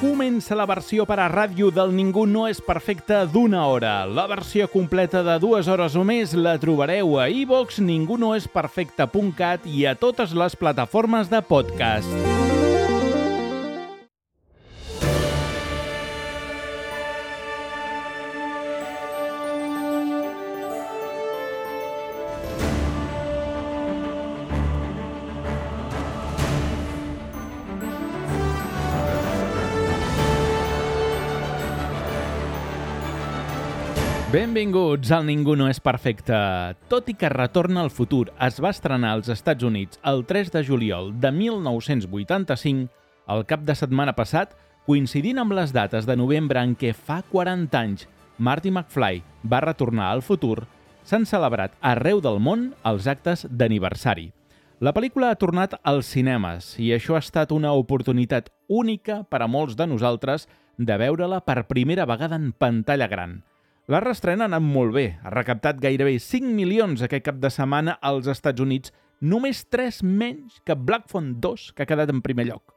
Comença la versió per a ràdio del Ningú no és perfecte d'1 hora. La versió completa de 2 hores o més la trobareu a iVoox, ningunoesperfecte.cat i a totes les plataformes de podcast. Benvinguts al Ningú no és perfecte. Tot i que Retorna al futur es va estrenar als Estats Units el 3 de juliol de 1985, el cap de setmana passat, coincidint amb les dates de novembre en què fa 40 anys Marty McFly va retornar al futur, s'han celebrat arreu del món els actes d'aniversari. La pel·lícula ha tornat als cinemes i això ha estat una oportunitat única per a molts de nosaltres de veure-la per primera vegada en pantalla gran. La reestrena ha anat molt bé, ha recaptat gairebé 5 milions aquest cap de setmana als Estats Units, només 3 menys que Black Phone 2, que ha quedat en primer lloc.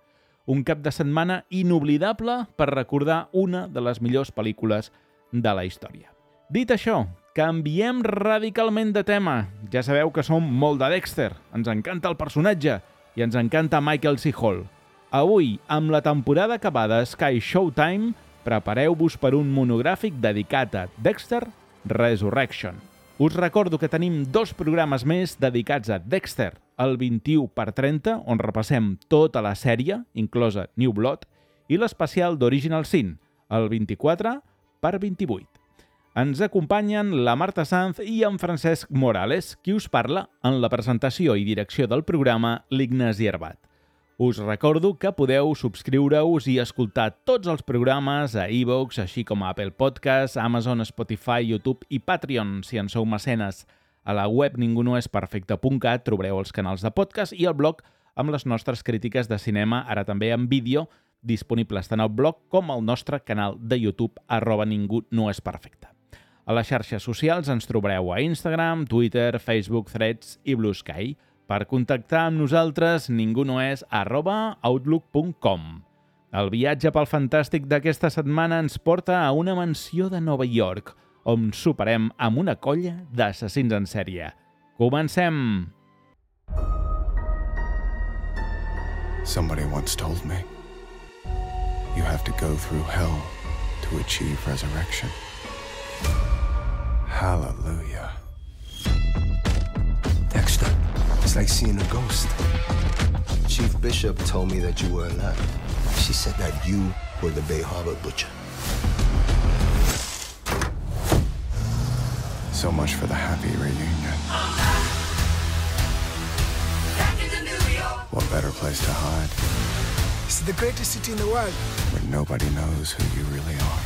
Un cap de setmana inoblidable per recordar una de les millors pel·lícules de la història. Dit això, canviem radicalment de tema. Ja sabeu que som molt de Dexter, ens encanta el personatge i ens encanta Michael C. Hall. Avui, amb la temporada acabada a Sky Showtime, prepareu-vos per un monogràfic dedicat a Dexter Resurrection. Us recordo que tenim 2 programes més dedicats a Dexter, el 21x30, on repassem tota la sèrie, inclosa New Blood, i l'especial d'Original Sin, el 24x28. Ens acompanyen la Marta Sanz i en Francesc Morales, qui us parla en la presentació i direcció del programa, l'Ignasi Herbat. Us recordo que podeu subscriure-us i escoltar tots els programes a iVoox, així com a Apple Podcasts, Amazon, Spotify, YouTube i Patreon, si en sou mecenes. A la web ningunoesperfecte.cat trobareu els canals de podcast i el blog amb les nostres crítiques de cinema, ara també en vídeo, disponibles tant al blog com al nostre canal de YouTube, @ningunoesperfecte. A les xarxes socials ens trobareu a Instagram, Twitter, Facebook, Threads i Blue Sky. Per contactar amb nosaltres, ningunoes@outlook.com. El viatge pel fantàstic d'aquesta setmana ens porta a una mansió de Nova York, on soparem amb una colla d'assassins en sèrie. Comencem! Somebody once told me, you have to go through hell to achieve resurrection. Hallelujah. Dexter, it's like seeing a ghost. Chief Bishop told me that you were alive. She said that you were the Bay Harbor butcher. So much for the happy reunion. What better place to hide It's the greatest city in the world. where nobody knows who you really are?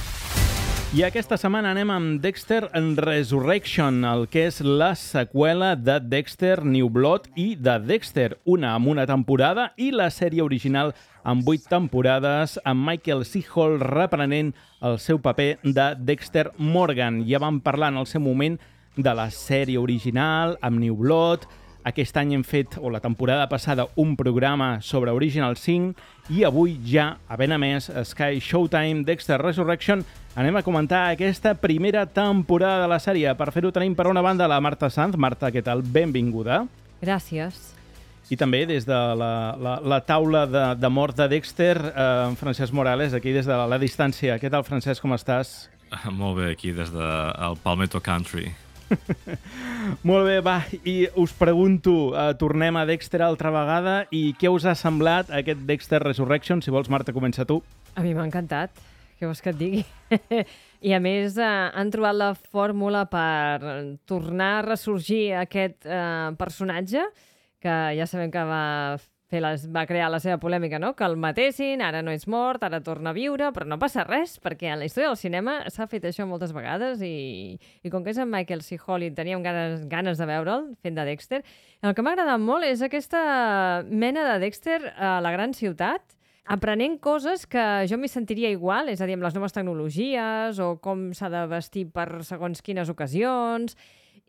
I aquesta setmana anem amb Dexter Resurrection, el que és la seqüela de Dexter New Blood i de Dexter, una amb una temporada i la sèrie original amb 8 temporades, amb Michael C. Hall reprenent el seu paper de Dexter Morgan. Ja vam parlar en el seu moment de la sèrie original amb New Blood. Aquest any hem fet, o la temporada passada, un programa sobre Original Sin i avui ja, a ben a més, Sky Showtime, Dexter Resurrection, anem a comentar aquesta primera temporada de la sèrie. Per fer-ho tenim per una banda la Marta Sanz. Marta, què tal? Benvinguda. Gràcies. I també des de la taula de mort de Dexter, Francesc Morales, aquí des de la distància. Què tal, Francesc, com estàs? Molt bé, aquí des del Palmetto Country. Molt bé, va, i us pregunto, tornem a Dexter altra vegada i què us ha semblat aquest Dexter Resurrection? Si vols, Marta, comença tu. A mi m'ha encantat. Què vols que et digui? I a més han trobat la fórmula per tornar a ressorgir aquest personatge que ja sabem que va crear la seva polèmica, no? Que el matessin, ara no és mort, ara torna a viure, però no passa res, perquè en la història del cinema s'ha fet això moltes vegades i com que és en Michael C. Hall i teníem ganes de veure'l fent de Dexter, el que m'ha agradat molt és aquesta mena de Dexter a la gran ciutat, aprenent coses que jo m'hi sentiria igual, és a dir, amb les noves tecnologies o com s'ha de vestir per segons quines ocasions,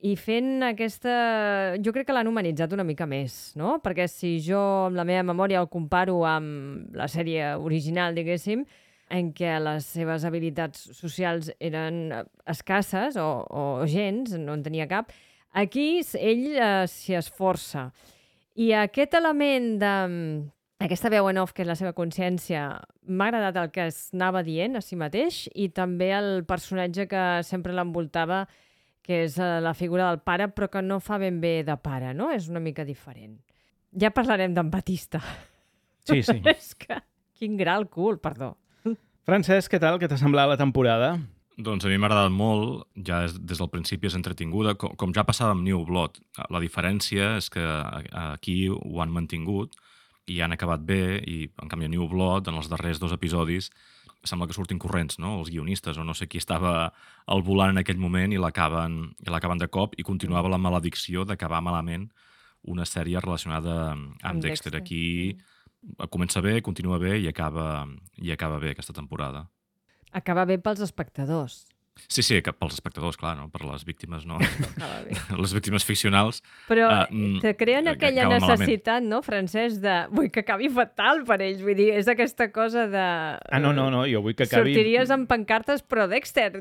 i fent aquesta... Jo crec que l'han humanitzat una mica més, no? Perquè si jo, amb la meva memòria, el comparo amb la sèrie original, diguéssim, en què les seves habilitats socials eren escasses o gens, no en tenia cap, aquí ell s'hi esforça. I aquest element aquesta veu en off, que és la seva consciència, m'ha agradat el que es anava dient a si mateix i també el personatge que sempre l'envoltava, que és la figura del pare, però que no fa ben bé de pare, no? És una mica diferent. Ja parlarem d'en Batista. Sí. És que... Quin gra al cul, perdó. Francesc, què tal? Què t'ha semblat la temporada? Doncs a mi m'ha agradat molt, ja des del principi és entretinguda, com ja passava amb New Blood. La diferència és que aquí ho han mantingut i han acabat bé, i en canvi a New Blood, en els darrers 2 episodis, sembla que surtin corrents, no? Els guionistes, o no sé qui estava al volant en aquell moment i l'acaben de cop, i continuava la maledicció d'acabar malament una sèrie relacionada amb Dexter. Aquí comença bé, continua bé i acaba bé aquesta temporada. Acaba bé pels espectadors. Sí, pels espectadors, clar, no? Per les víctimes no. Acaba bé. Les víctimes ficcionals. Però te creen aquella necessitat, malament. no, Francesc, de... Vull que acabi fatal per ells. Vull dir, és aquesta cosa de... No, jo vull que acabi... Sortiries amb pancartes, però Dexter.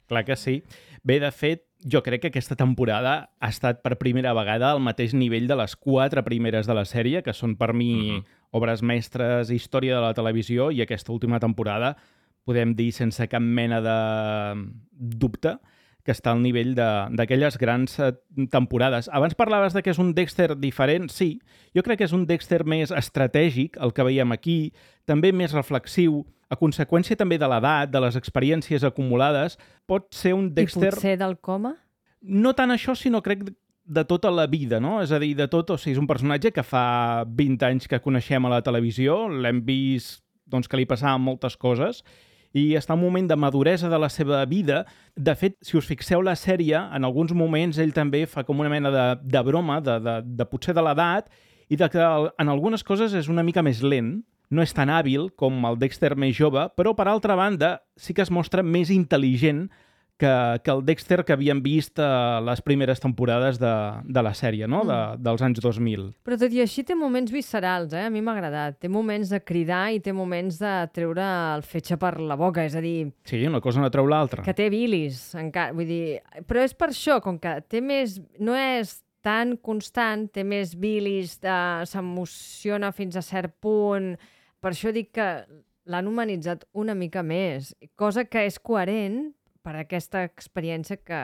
Clar que sí. Bé, de fet, jo crec que aquesta temporada ha estat per primera vegada al mateix nivell de les 4 primeres de la sèrie, que són per mi obres mestres, història de la televisió, i aquesta última temporada podem dir sense cap mena de dubte que està al nivell d'aquelles grans temporades. Abans parlaves de que és un Dexter diferent. Sí, jo crec que és un Dexter més estratègic, el que veiem aquí, també més reflexiu, a conseqüència també de l'edat, de les experiències acumulades. Pot ser un Dexter... I potser del coma? No tant això, sinó crec de tota la vida, no? És a dir, de tot, o sigui, és un personatge que fa 20 anys que coneixem a la televisió, l'hem vist doncs, que li passaven moltes coses, i està en un moment de maduresa de la seva vida. De fet, si us fixeu la sèrie, en alguns moments ell també fa com una mena de broma, de potser de l'edat, i de que en algunes coses és una mica més lent, no és tan hàbil com el Dexter més jove, però per altra banda sí que es mostra més intel·ligent que el Dexter que havíem vist a les primeres temporades de la sèrie, no? Dels anys 2000. Però tot i així té moments viscerals, a mi m'ha agradat. Té moments de cridar i té moments de treure el fetge per la boca, és a dir... Sí, una cosa no treu l'altra. Que té bilis, encara, vull dir... Però és per això, com que té més... No és tan constant, té més bilis, s'emociona fins a cert punt... Per això dic que l'han humanitzat una mica més, cosa que és coherent per aquesta experiència que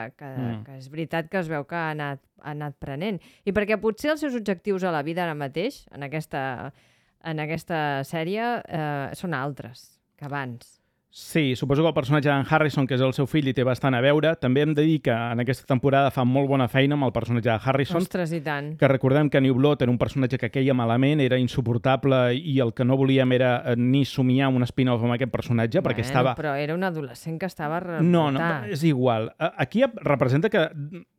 és veritat que es veu que ha anat prenent. I perquè potser els seus objectius a la vida ara mateix, en aquesta sèrie, són altres que abans. Sí, suposo que el personatge d'en Harrison, que és el seu fill, hi té bastant a veure. També hem de dir que en aquesta temporada fa molt bona feina amb el personatge de Harrison. Ostres, i tant. Que recordem que New Blood era un personatge que queia malament, era insuportable, i el que no volíem era ni somiar un spin-off amb aquest personatge, perquè estava... Però era un adolescent que estava revoltat. No, és igual. Aquí representa que...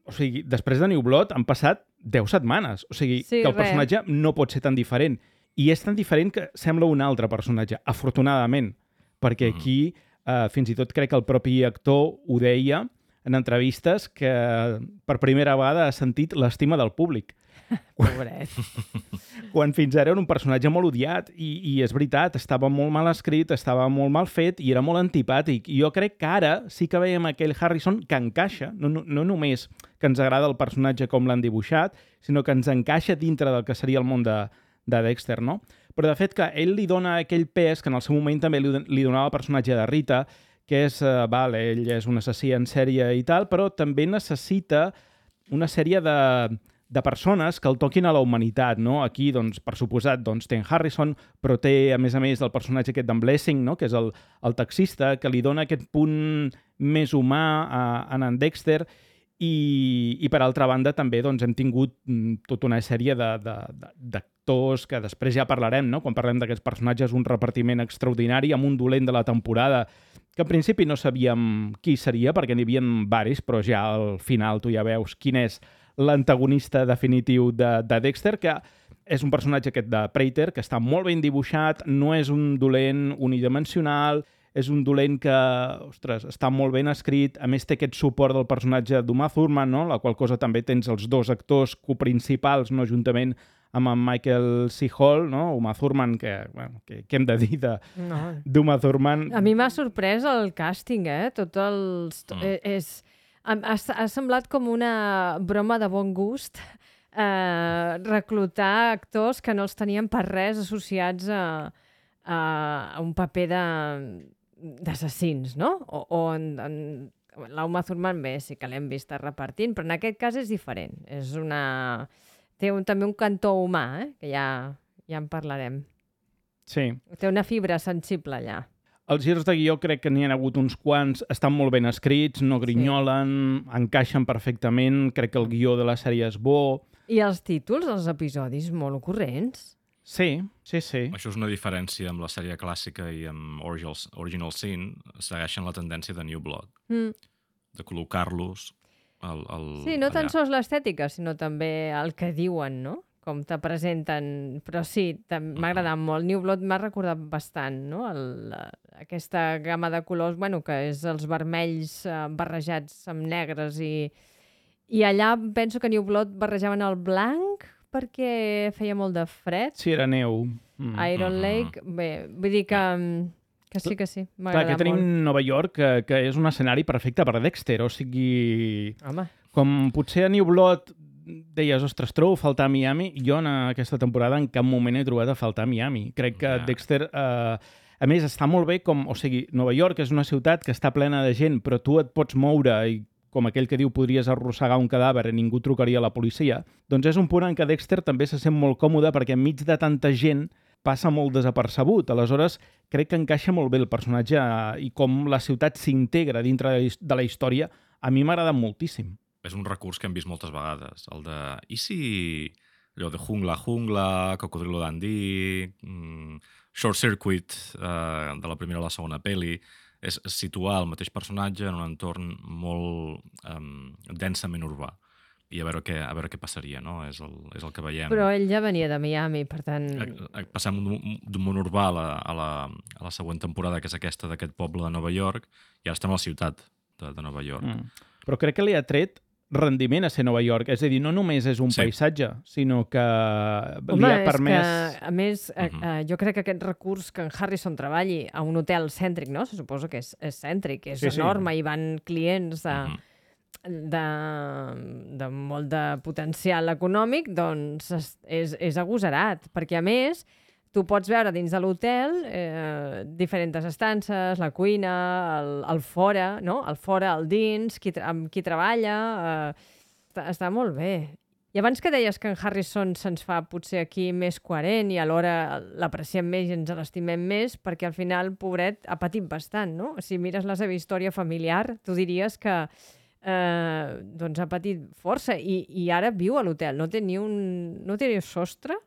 O sigui, després de New Blood han passat 10 setmanes. O sigui, que el personatge no pot ser tan diferent. I és tan diferent que sembla un altre personatge, afortunadament. Perquè aquí, fins i tot crec que el propi actor ho deia en entrevistes, que per primera vegada ha sentit l'estima del públic. Pobret. Quan fins ara era un personatge molt odiat, i és veritat, estava molt mal escrit, estava molt mal fet i era molt antipàtic. I jo crec que ara sí que veiem aquell Harrison que encaixa, no només que ens agrada el personatge com l'han dibuixat, sinó que ens encaixa dintre del que seria el món de Dexter, no? Però de fet que ell li dona aquell pes que en el seu moment també li donava el personatge de Rita, que és, ell és un assassí en sèrie i tal, però també necessita una sèrie de persones que el toquin a la humanitat, no? Aquí, doncs, per suposat, doncs, té en Harrison, però té, a més, el personatge aquest d'en Blessing, no? Que és el taxista, que li dona aquest punt més humà a en Dexter. I per altra banda també doncs, hem tingut tota una sèrie d'actors que després ja parlarem, no? Quan parlem d'aquests personatges, un repartiment extraordinari amb un dolent de la temporada que en principi no sabíem qui seria perquè n'hi havia varis, però ja al final tu ja veus quin és l'antagonista definitiu de Dexter, que és un personatge aquest de Prater que està molt ben dibuixat, no és un dolent unidimensional, és un dolent que, ostres, està molt ben escrit, a més té aquest suport del personatge d'Uma Thurman, no? La qual cosa també tens els 2 actors coprincipals, no? Juntament amb en Michael C. Hall, no? Uma Thurman, que hem de dir d'Uma Thurman. A mi m'ha sorprès el càsting, Tot els... Ha semblat com una broma de bon gust reclutar actors que no els tenien per res associats a un paper d'assassins, no? L'Uma Thurman bé, sí que l'hem vist repartint, però en aquest cas és diferent. Té també un cantó humà, que ja en parlarem. Sí. Té una fibra sensible allà. Els girs de guió crec que n'hi ha hagut uns quants, estan molt ben escrits, no grinyolen, encaixen perfectament, crec que el guió de la sèrie és bo. I els títols dels episodis molt ocorrents. Sí. Això és una diferència amb la sèrie clàssica i amb Original Sin. Segueixen la tendència de New Blood, de col·locar-los Sí, no tan sols l'estètica, sinó també el que diuen, no? Com te presenten. Però sí, m'ha agradat molt. New Blood m'ha recordat bastant, no? Aquesta gamma de colors, que és els vermells barrejats amb negres i allà penso que New Blood barrejaven el blanc perquè feia molt de fred. Sí, era neu. Iron Lake, bé, vull dir que sí, m'ha agradat molt. Clar, que tenim Nova York, que és un escenari perfecte per Dexter, o sigui... Home. Com potser a New Blood deies, ostres, trobo a faltar Miami, jo en aquesta temporada en cap moment he trobat a faltar Miami. Crec que Dexter, a més, està molt bé com... O sigui, Nova York és una ciutat que està plena de gent, però tu et pots moure i com aquell que diu podries arrossegar un cadàver i ningú trucaria a la policia, doncs és un punt en què Dexter també se sent molt còmode perquè enmig de tanta gent passa molt desapercebut. Aleshores, crec que encaixa molt bé el personatge i com la ciutat s'integra dintre de la història, a mi m'ha agradat moltíssim. És un recurs que hem vist moltes vegades, el de... I si allò de jungla, Cocodrilo Dundee, Short Circuit, de la primera a la segona peli, és situar el mateix personatge en un entorn molt densament urbà. I a veure què passaria, no? És el que veiem. Però ell ja venia de Miami, per tant... Passem d'un món urbà a la següent temporada, que és aquesta d'aquest poble de Nova York, i ara estem a la ciutat de Nova York. Però crec que li ha tret rendiment a ser Nova York. És a dir, no només és un paisatge, sinó que li ha permès... Que, a més, jo crec que aquest recurs que en Harrison treballi a un hotel cèntric, no? Se suposa que és cèntric, és enorme, i van clients de molt de potencial econòmic, doncs és agosarat, perquè a més tu pots veure dins de l'hotel diferents estances, la cuina, el fora, no? El fora, el dins, amb qui treballa, està molt bé. I abans que deies que en Harrison se'ns fa potser aquí més coherent i alhora l'apreciem més i ens l'estimem més, perquè al final, pobret, ha patit bastant, no? Si mires la seva història familiar, tu diries que doncs ha patit força i ara viu a l'hotel, no té ni sostre,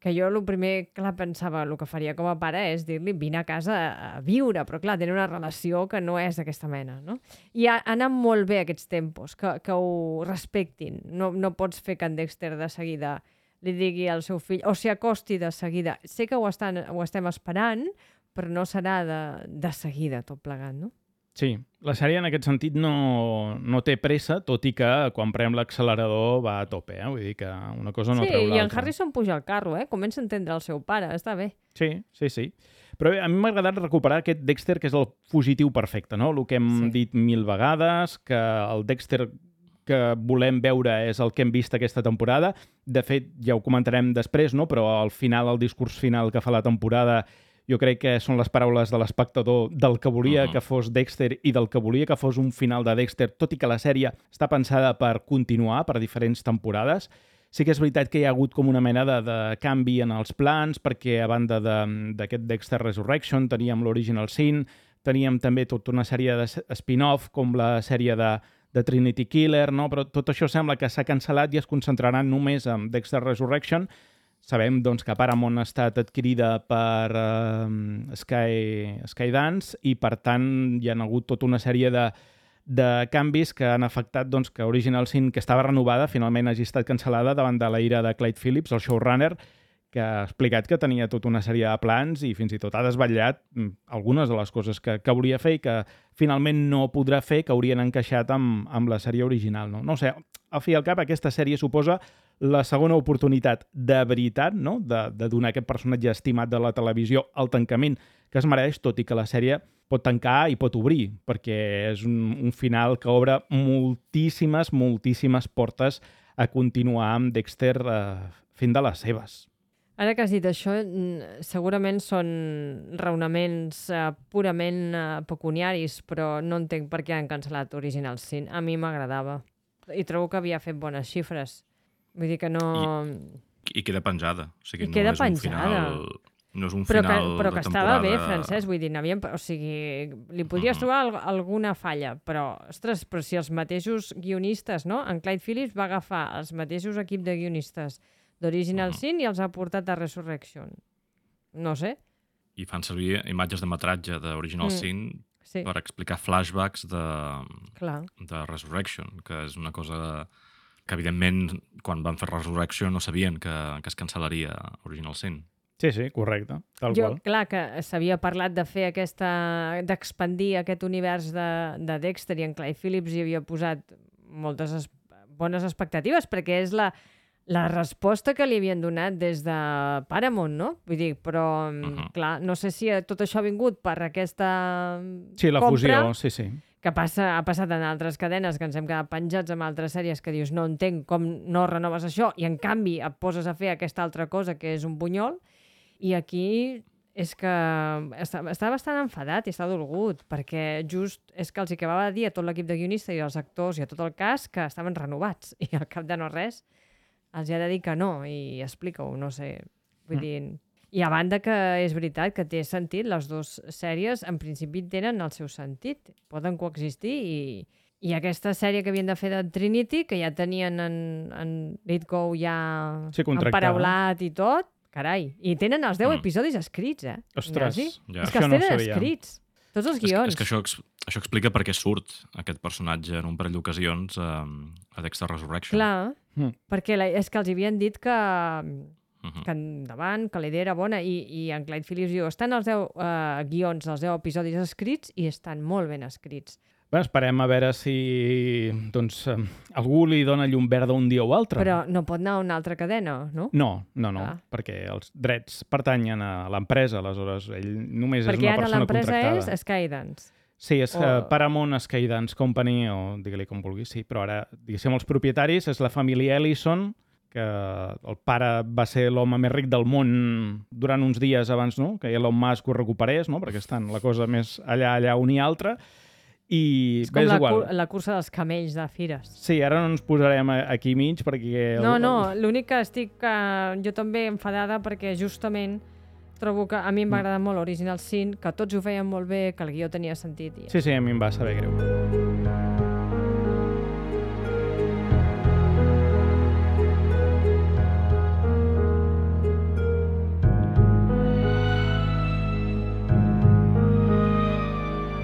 que jo el primer, clar, pensava, el que faria com a pare és dir-li vine a casa a viure, però clar, tenen una relació que no és d'aquesta mena, no? I ha anat molt bé aquests tempos, que ho respectin. No pots fer que en Dexter de seguida li digui al seu fill, o s'hi acosti de seguida. Sé que ho estem esperant, però no serà de seguida tot plegat, no? Sí, la sèrie en aquest sentit no té pressa, tot i que quan prem l'accelerador va a tope, Vull dir que una cosa no treu l'altra. Sí, i en Harrison puja al carro, Comença a entendre el seu pare, està bé. Sí. Però bé, a mi m'ha agradat recuperar aquest Dexter que és el fugitiu perfecte, no? El que hem dit 1000 vegades, que el Dexter que volem veure és el que hem vist aquesta temporada. De fet, ja ho comentarem després, no? Però al final, el discurs final que fa la temporada, jo crec que són les paraules de l'espectador del que volia que fos Dexter i del que volia que fos un final de Dexter, tot i que la sèrie està pensada per continuar per diferents temporades. Sí que és veritat que hi ha hagut com una mena de canvi en els plans, perquè a banda d'aquest Dexter Resurrection teníem l'Original Sin, teníem també tota una sèrie de spin-off com la sèrie de Trinity Killer, no? Però tot això sembla que s'ha cancel·lat i es concentraran només en Dexter Resurrection. Sabem doncs, que Paramount ha estat adquirida per Skydance i, per tant, hi ha hagut tota una sèrie de canvis que han afectat doncs, que Original Sin, que estava renovada, finalment hagi estat cancel·lada davant de la ira de Clyde Phillips, el showrunner, que ha explicat que tenia tota una sèrie de plans i fins i tot ha desvetllat algunes de les coses que volia fer i que finalment no podrà fer, que haurien encaixat amb la sèrie original. No sé, al fi i al cap aquesta sèrie suposa la segona oportunitat de veritat, no?, de donar aquest personatge estimat de la televisió el tancament que es mereix, tot i que la sèrie pot tancar i pot obrir, perquè és un final que obre moltíssimes portes a continuar amb Dexter fent de les seves. Ara que has dit això, segurament són raonaments purament pecuniaris, però no entenc per què han cancel·lat Original Sin. A mi m'agradava. I trobo que havia fet bones xifres. Vull dir que no... I queda penjada. O sigui, I queda penjada. No és un final de temporada... Però que estava bé, Francesc. Vull dir, o sigui, li podries trobar alguna falla, però, ostres, però si els mateixos guionistes, no? En Clyde Phillips va agafar els mateixos equip de guionistes d'Original Sin i els ha portat a Resurrection. No sé. I fan servir imatges de metratge d'Original Sin per explicar flashbacks de Resurrection, que és una cosa que, evidentment, quan van fer Resurrection no sabien que es cancel·laria Original Sin. Sí, correcte, tal qual. Clar, que s'havia parlat de fer d'expandir aquest univers de Dexter i en Clyde Phillips hi havia posat moltes bones expectatives, perquè és la resposta que li havien donat des de Paramount, no? Vull dir, però, clar, no sé si tot això ha vingut per aquesta la compra, fusió, sí. Que ha passat en altres cadenes, que ens hem quedat penjats amb altres sèries que dius, no entenc com no renoves això, i en canvi et poses a fer aquesta altra cosa que és un bunyol, i aquí és que està bastant enfadat i està dolgut, perquè just és que els hi acabava de dir a tot l'equip de guionistes i als actors i a tot el cast que estaven renovats, i al cap de no res els ha de dir que no, i explica-ho, no sé. Vull dir... I a banda que és veritat que té sentit, les dues sèries en principi tenen el seu sentit, poden coexistir, i aquesta sèrie que havien de fer de Trinity, que ja tenien en Lithgow ja emparaulat i tot, carai, i tenen els 10 episodis escrits, Ostres, és que els tenen escrits, tots els guions. És que això explica per què surt aquest personatge en un parell d'ocasions a Dexter Resurrection. Clar, perquè és que els havien dit que endavant, que la idea era bona, i en Clyde Phillips diu, estan els 10 guions, els 10 episodis escrits, i estan molt ben escrits. Bé, esperem a veure si algú li dona llum verda un dia o altre. Però no pot anar a una altra cadena, no? No, perquè els drets pertanyen a l'empresa, aleshores ell només és una persona contractada. Perquè ara l'empresa és Skydance. Sí, és Paramount Skydance Company, o digue-li com vulguis, sí, però ara, diguéssim, els propietaris és la família Ellison, que el pare va ser l'home més ric del món durant uns dies abans, no?, que Elon Musk ho recuperés, no?, perquè estan la cosa més allà un i altre. I és com la cursa dels camells de Fires. Sí, ara no ens posarem aquí mig perquè... No, l'únic que estic jo també enfadada perquè justament trobo que a mi m'ha agradat molt Original Sin, que tots ho feien molt bé, que el guió tenia sentit. Sí, a mi em va saber greu.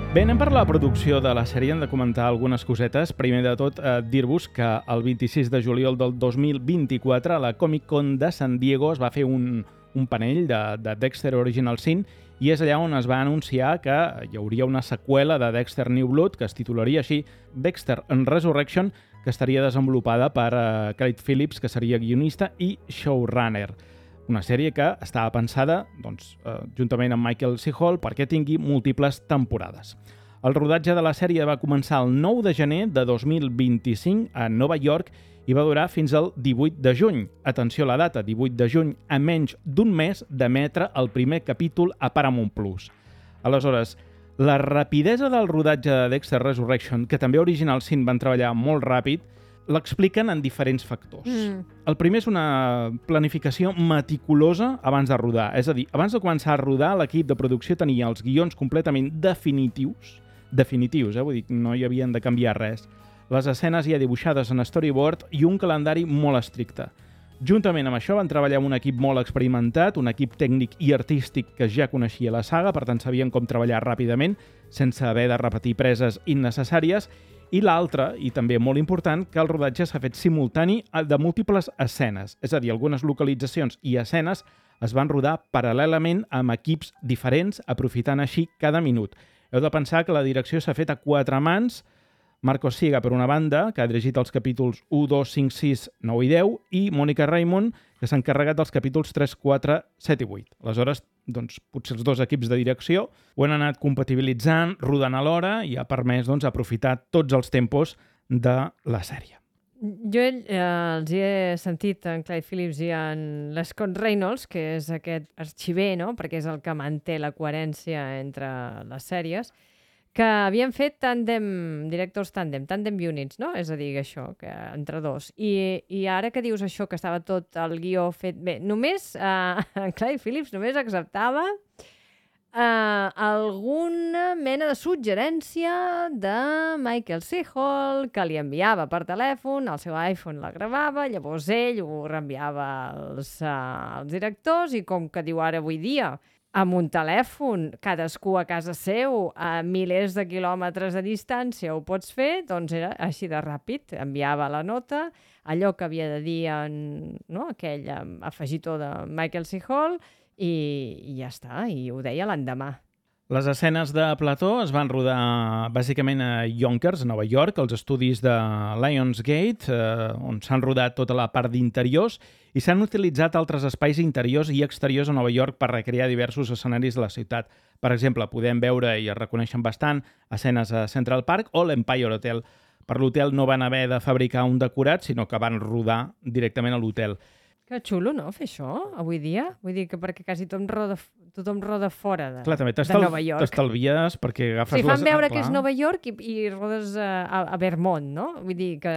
Bé, anem per la producció de la sèrie, hem de comentar algunes cosetes. Primer de tot, dir-vos que el 26 de juliol del 2024 a la Comic-Con de San Diego es va fer un panell de Dexter Original Sin i és allà on es va anunciar que hi hauria una seqüela de Dexter New Blood que es titularia així Dexter and Resurrection, que estaria desenvolupada per Clyde Phillips, que seria guionista i showrunner. Una sèrie que estava pensada, juntament amb Michael C. Hall, perquè tingui múltiples temporades. El rodatge de la sèrie va començar el 9 de gener de 2025 a Nova York i va durar fins al 18 de juny. Atenció a la data, 18 de juny, a menys d'un mes d'emetre el primer capítol a Paramount+. Aleshores, la rapidesa del rodatge de Dexter Resurrection, que també Original Sin van treballar molt ràpid, l'expliquen en diferents factors. El primer és una planificació meticulosa abans de rodar. És a dir, abans de començar a rodar, l'equip de producció tenia els guions completament definitius, vull dir, no hi havien de canviar res. Les escenes ja dibuixades en storyboard i un calendari molt estricte. Juntament amb això van treballar amb un equip molt experimentat, un equip tècnic i artístic que ja coneixia la saga, per tant sabien com treballar ràpidament, sense haver de repetir preses innecessàries, I l'altre, i també molt important, que el rodatge s'ha fet simultani de múltiples escenes. És a dir, algunes localitzacions i escenes es van rodar paral·lelament amb equips diferents, aprofitant així cada minut. Heu de pensar que la direcció s'ha fet a 4 mans. Marcos Siega, per una banda, que ha dirigit els capítols 1, 2, 5, 6, 9 i 10, i Mònica Raymond, que s'ha encarregat dels capítols 3, 4, 7 i 8. Aleshores, doncs, potser els dos equips de direcció ho han anat compatibilitzant, rodant alhora, i ha permès aprofitar tots els tempos de la sèrie. Jo els hi he sentit en Clyde Phillips i en l'Scott Reynolds, que és aquest arxiver, no? Perquè és el que manté la coherència entre les sèries, que havien fet directors tandem units, no? És a dir, això, que entre dos. I ara que dius això, que estava tot el guió fet bé, només en Clyde Phillips només acceptava alguna mena de suggerència de Michael C. Hall, que li enviava per telèfon, el seu iPhone la gravava, llavors ell ho reenviava als directors, i com que diu ara avui dia, amb un telèfon, cadascú a casa seu, a milers de quilòmetres de distància ho pots fer, doncs era així de ràpid. Enviava la nota, allò que havia de dir aquell afegitó de Michael C. Hall, i ja està, i ho deia l'endemà. Les escenes de plató es van rodar bàsicament a Yonkers, a Nova York, als estudis de Lionsgate, on s'han rodat tota la part d'interiors, i s'han utilitzat altres espais interiors i exteriors a Nova York per recrear diversos escenaris de la ciutat. Per exemple, podem veure, i es reconeixen bastant, escenes a Central Park o l'Empire Hotel. Per l'hotel no van haver de fabricar un decorat, sinó que van rodar directament a l'hotel. Que xulo, no?, fer això, avui dia. Vull dir que perquè quasi tothom roda fora de Nova York. T'estalvies perquè agafes... Sí, fan veure que és Nova York i rodes a Vermont, no? Vull dir que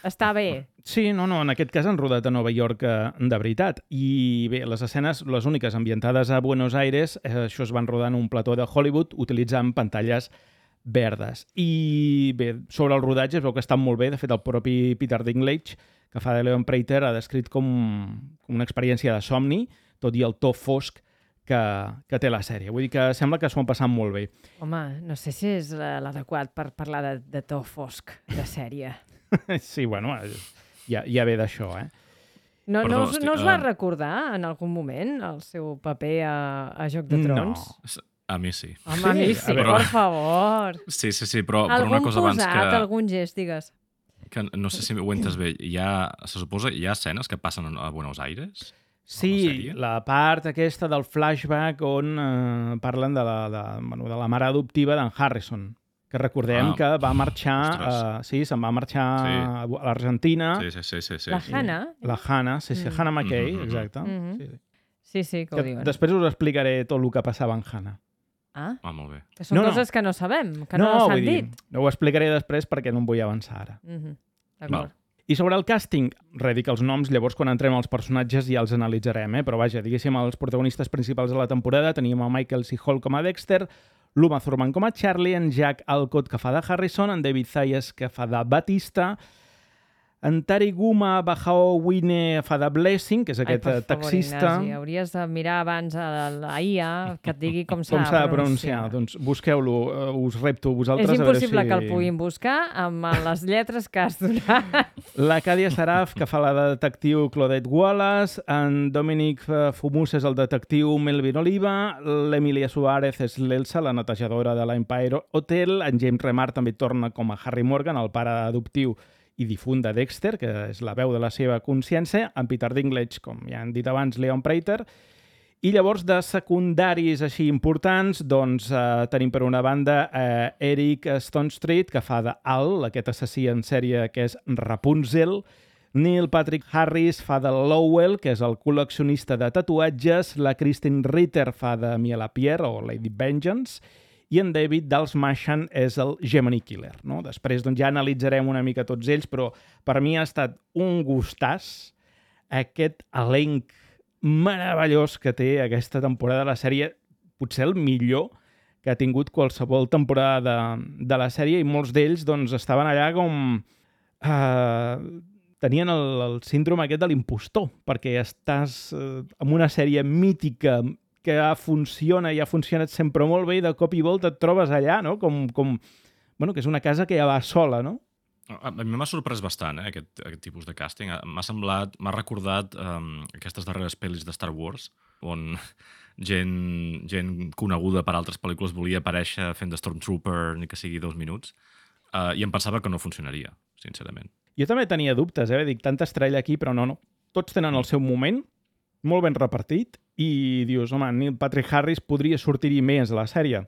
està bé. Sí, no, en aquest cas han rodat a Nova York de veritat. I bé, les escenes, les úniques ambientades a Buenos Aires, això es van rodar en un plató de Hollywood utilitzant pantalles verdes. I bé, sobre el rodatge es veu que estan molt bé. De fet, el propi Peter Dinklage, que fa de Leon Prater, ha descrit com una experiència de somni, tot i el to fosc que té la sèrie. Vull dir que sembla que s'ho han passat molt bé. Home, no sé si és l'adequat per parlar de to fosc de sèrie. Sí, bueno, ja ve d'això, eh? No us va recordar en algun moment el seu paper a Joc de Trons? No, a mi sí. Home, a mi sí, per favor. Sí, però una cosa abans que... Algun gest, digues. Que no sé si ho entes bé, se suposa hi ha escenes que passen a Buenos Aires? Sí, la part aquesta del flashback on parlen de la mare adoptiva d'en Harrison, que recordem que va marxar, se'n va marxar a l'Argentina. Sí. La Hannah. La Hannah, sí, Hannah McKay, exacte. Sí, que ho diuen. Després us explicaré tot el que passava en Hannah. Ah, molt bé. Que són coses que no sabem, que no s'han dit. No ho explicaré després perquè no em vull avançar ara. D'acord. I sobre el càsting, dic els noms, llavors quan entrem als personatges ja els analitzarem, però vaja, diguéssim, els protagonistes principals de la temporada teníem a Michael C. Hall com a Dexter, l'Uma Thurman com a Charlie, en Jack Alcott que fa de Harrison, en David Zayas que fa de Batista, en Tariguma Bajaowine fa de Blessing, que és aquest taxista. Ignasi, hauries de mirar abans a la IA que et digui com s'ha de pronunciar. Doncs busqueu-lo, us repto vosaltres. És impossible que el puguin buscar amb les lletres que has donat. La Cadia Saraf, que fa la de detectiu Claudette Wallace, en Dominic Fumus és el detectiu Melvin Oliva, l'Emilia Suárez és l'Elsa, la netejadora de l'Empire Hotel, en James Remar també torna com a Harry Morgan, el pare adoptiu i difunt de Dexter, que és la veu de la seva consciència, en Peter Dinklage, com ja han dit abans, Leon Prater. I llavors, de secundaris així importants, doncs tenim per una banda Eric Stonestreet, que fa de Al, aquest assassí en sèrie que és Rapunzel. Neil Patrick Harris fa de Lowell, que és el col·leccionista de tatuatges. La Kristen Ritter fa de Mia Lapierre, o Lady Vengeance. I en David Dalsmashan és el Gemini Killer. No? Després ja analitzarem una mica tots ells, però per mi ha estat un gustàs aquest elenc meravellós que té aquesta temporada de la sèrie, potser el millor que ha tingut qualsevol temporada de la sèrie, i molts d'ells estaven allà com... tenien el síndrome aquest de l'impostor, perquè estàs en una sèrie mítica que funciona i ha funcionat sempre molt bé, i de cop i volta et trobes allà, no? Com bueno, que és una casa que ja va sola, no? A mi m'ha sorprès bastant, aquest tipus de càsting. M'ha recordat aquestes darreres pel·lis de Star Wars, on gent coneguda per altres pel·lícules volia aparèixer fent de Stormtrooper ni que sigui 2 minuts, i em pensava que no funcionaria, sincerament. Jo també tenia dubtes, dic, tanta estrella aquí, però no. Tots tenen el seu moment, molt ben repartit, i dius, home, Neil Patrick Harris podria sortir-hi més a la sèrie.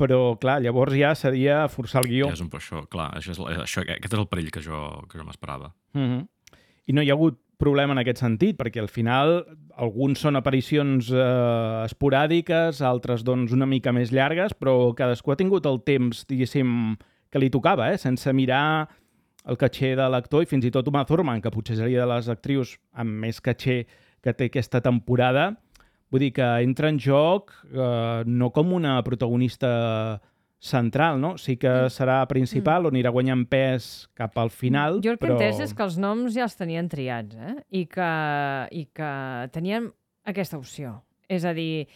Però, clar, llavors ja seria forçar el guió. Ja és un poc això, clar. Aquest és el perill que jo m'esperava. I no hi ha hagut problema en aquest sentit, perquè al final alguns són aparicions esporàdiques, altres doncs una mica més llargues, però cadascú ha tingut el temps, diguéssim, que li tocava, sense mirar el caché de l'actor, i fins i tot Uma Thurman, que potser seria de les actrius amb més caché que té aquesta temporada. Vull dir que entra en joc no com una protagonista central, no? Sí que serà principal, on anirà guanyant pes cap al final, Jo el que però... he entès és que els noms ja els tenien triats, I que tenien aquesta opció. És a dir,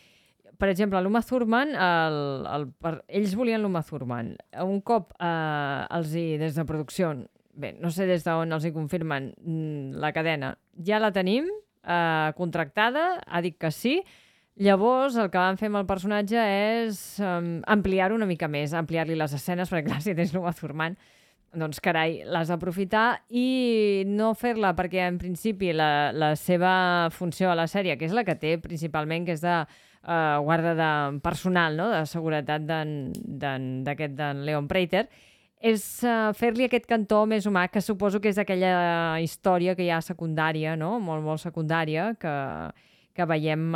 per exemple, l'Uma Thurman, ells volien l'Uma Thurman. Un cop des de producció, bé, no sé des d'on els hi confirmen la cadena, ja la tenim, contractada, ha dit que sí. Llavors, el que van fer amb el personatge és ampliar-ho una mica més, ampliar-li les escenes, perquè clar, si tens l'Uma Thurman, doncs carai, l'has d'aprofitar i no fer-la, perquè en principi la seva funció a la sèrie, que és la que té principalment, que és de guarda de personal, no? De seguretat d'en Leon Prater, és fer-li aquest cantó més humà, que suposo que és aquella història que hi ha secundària, no? Molt, molt secundària, que veiem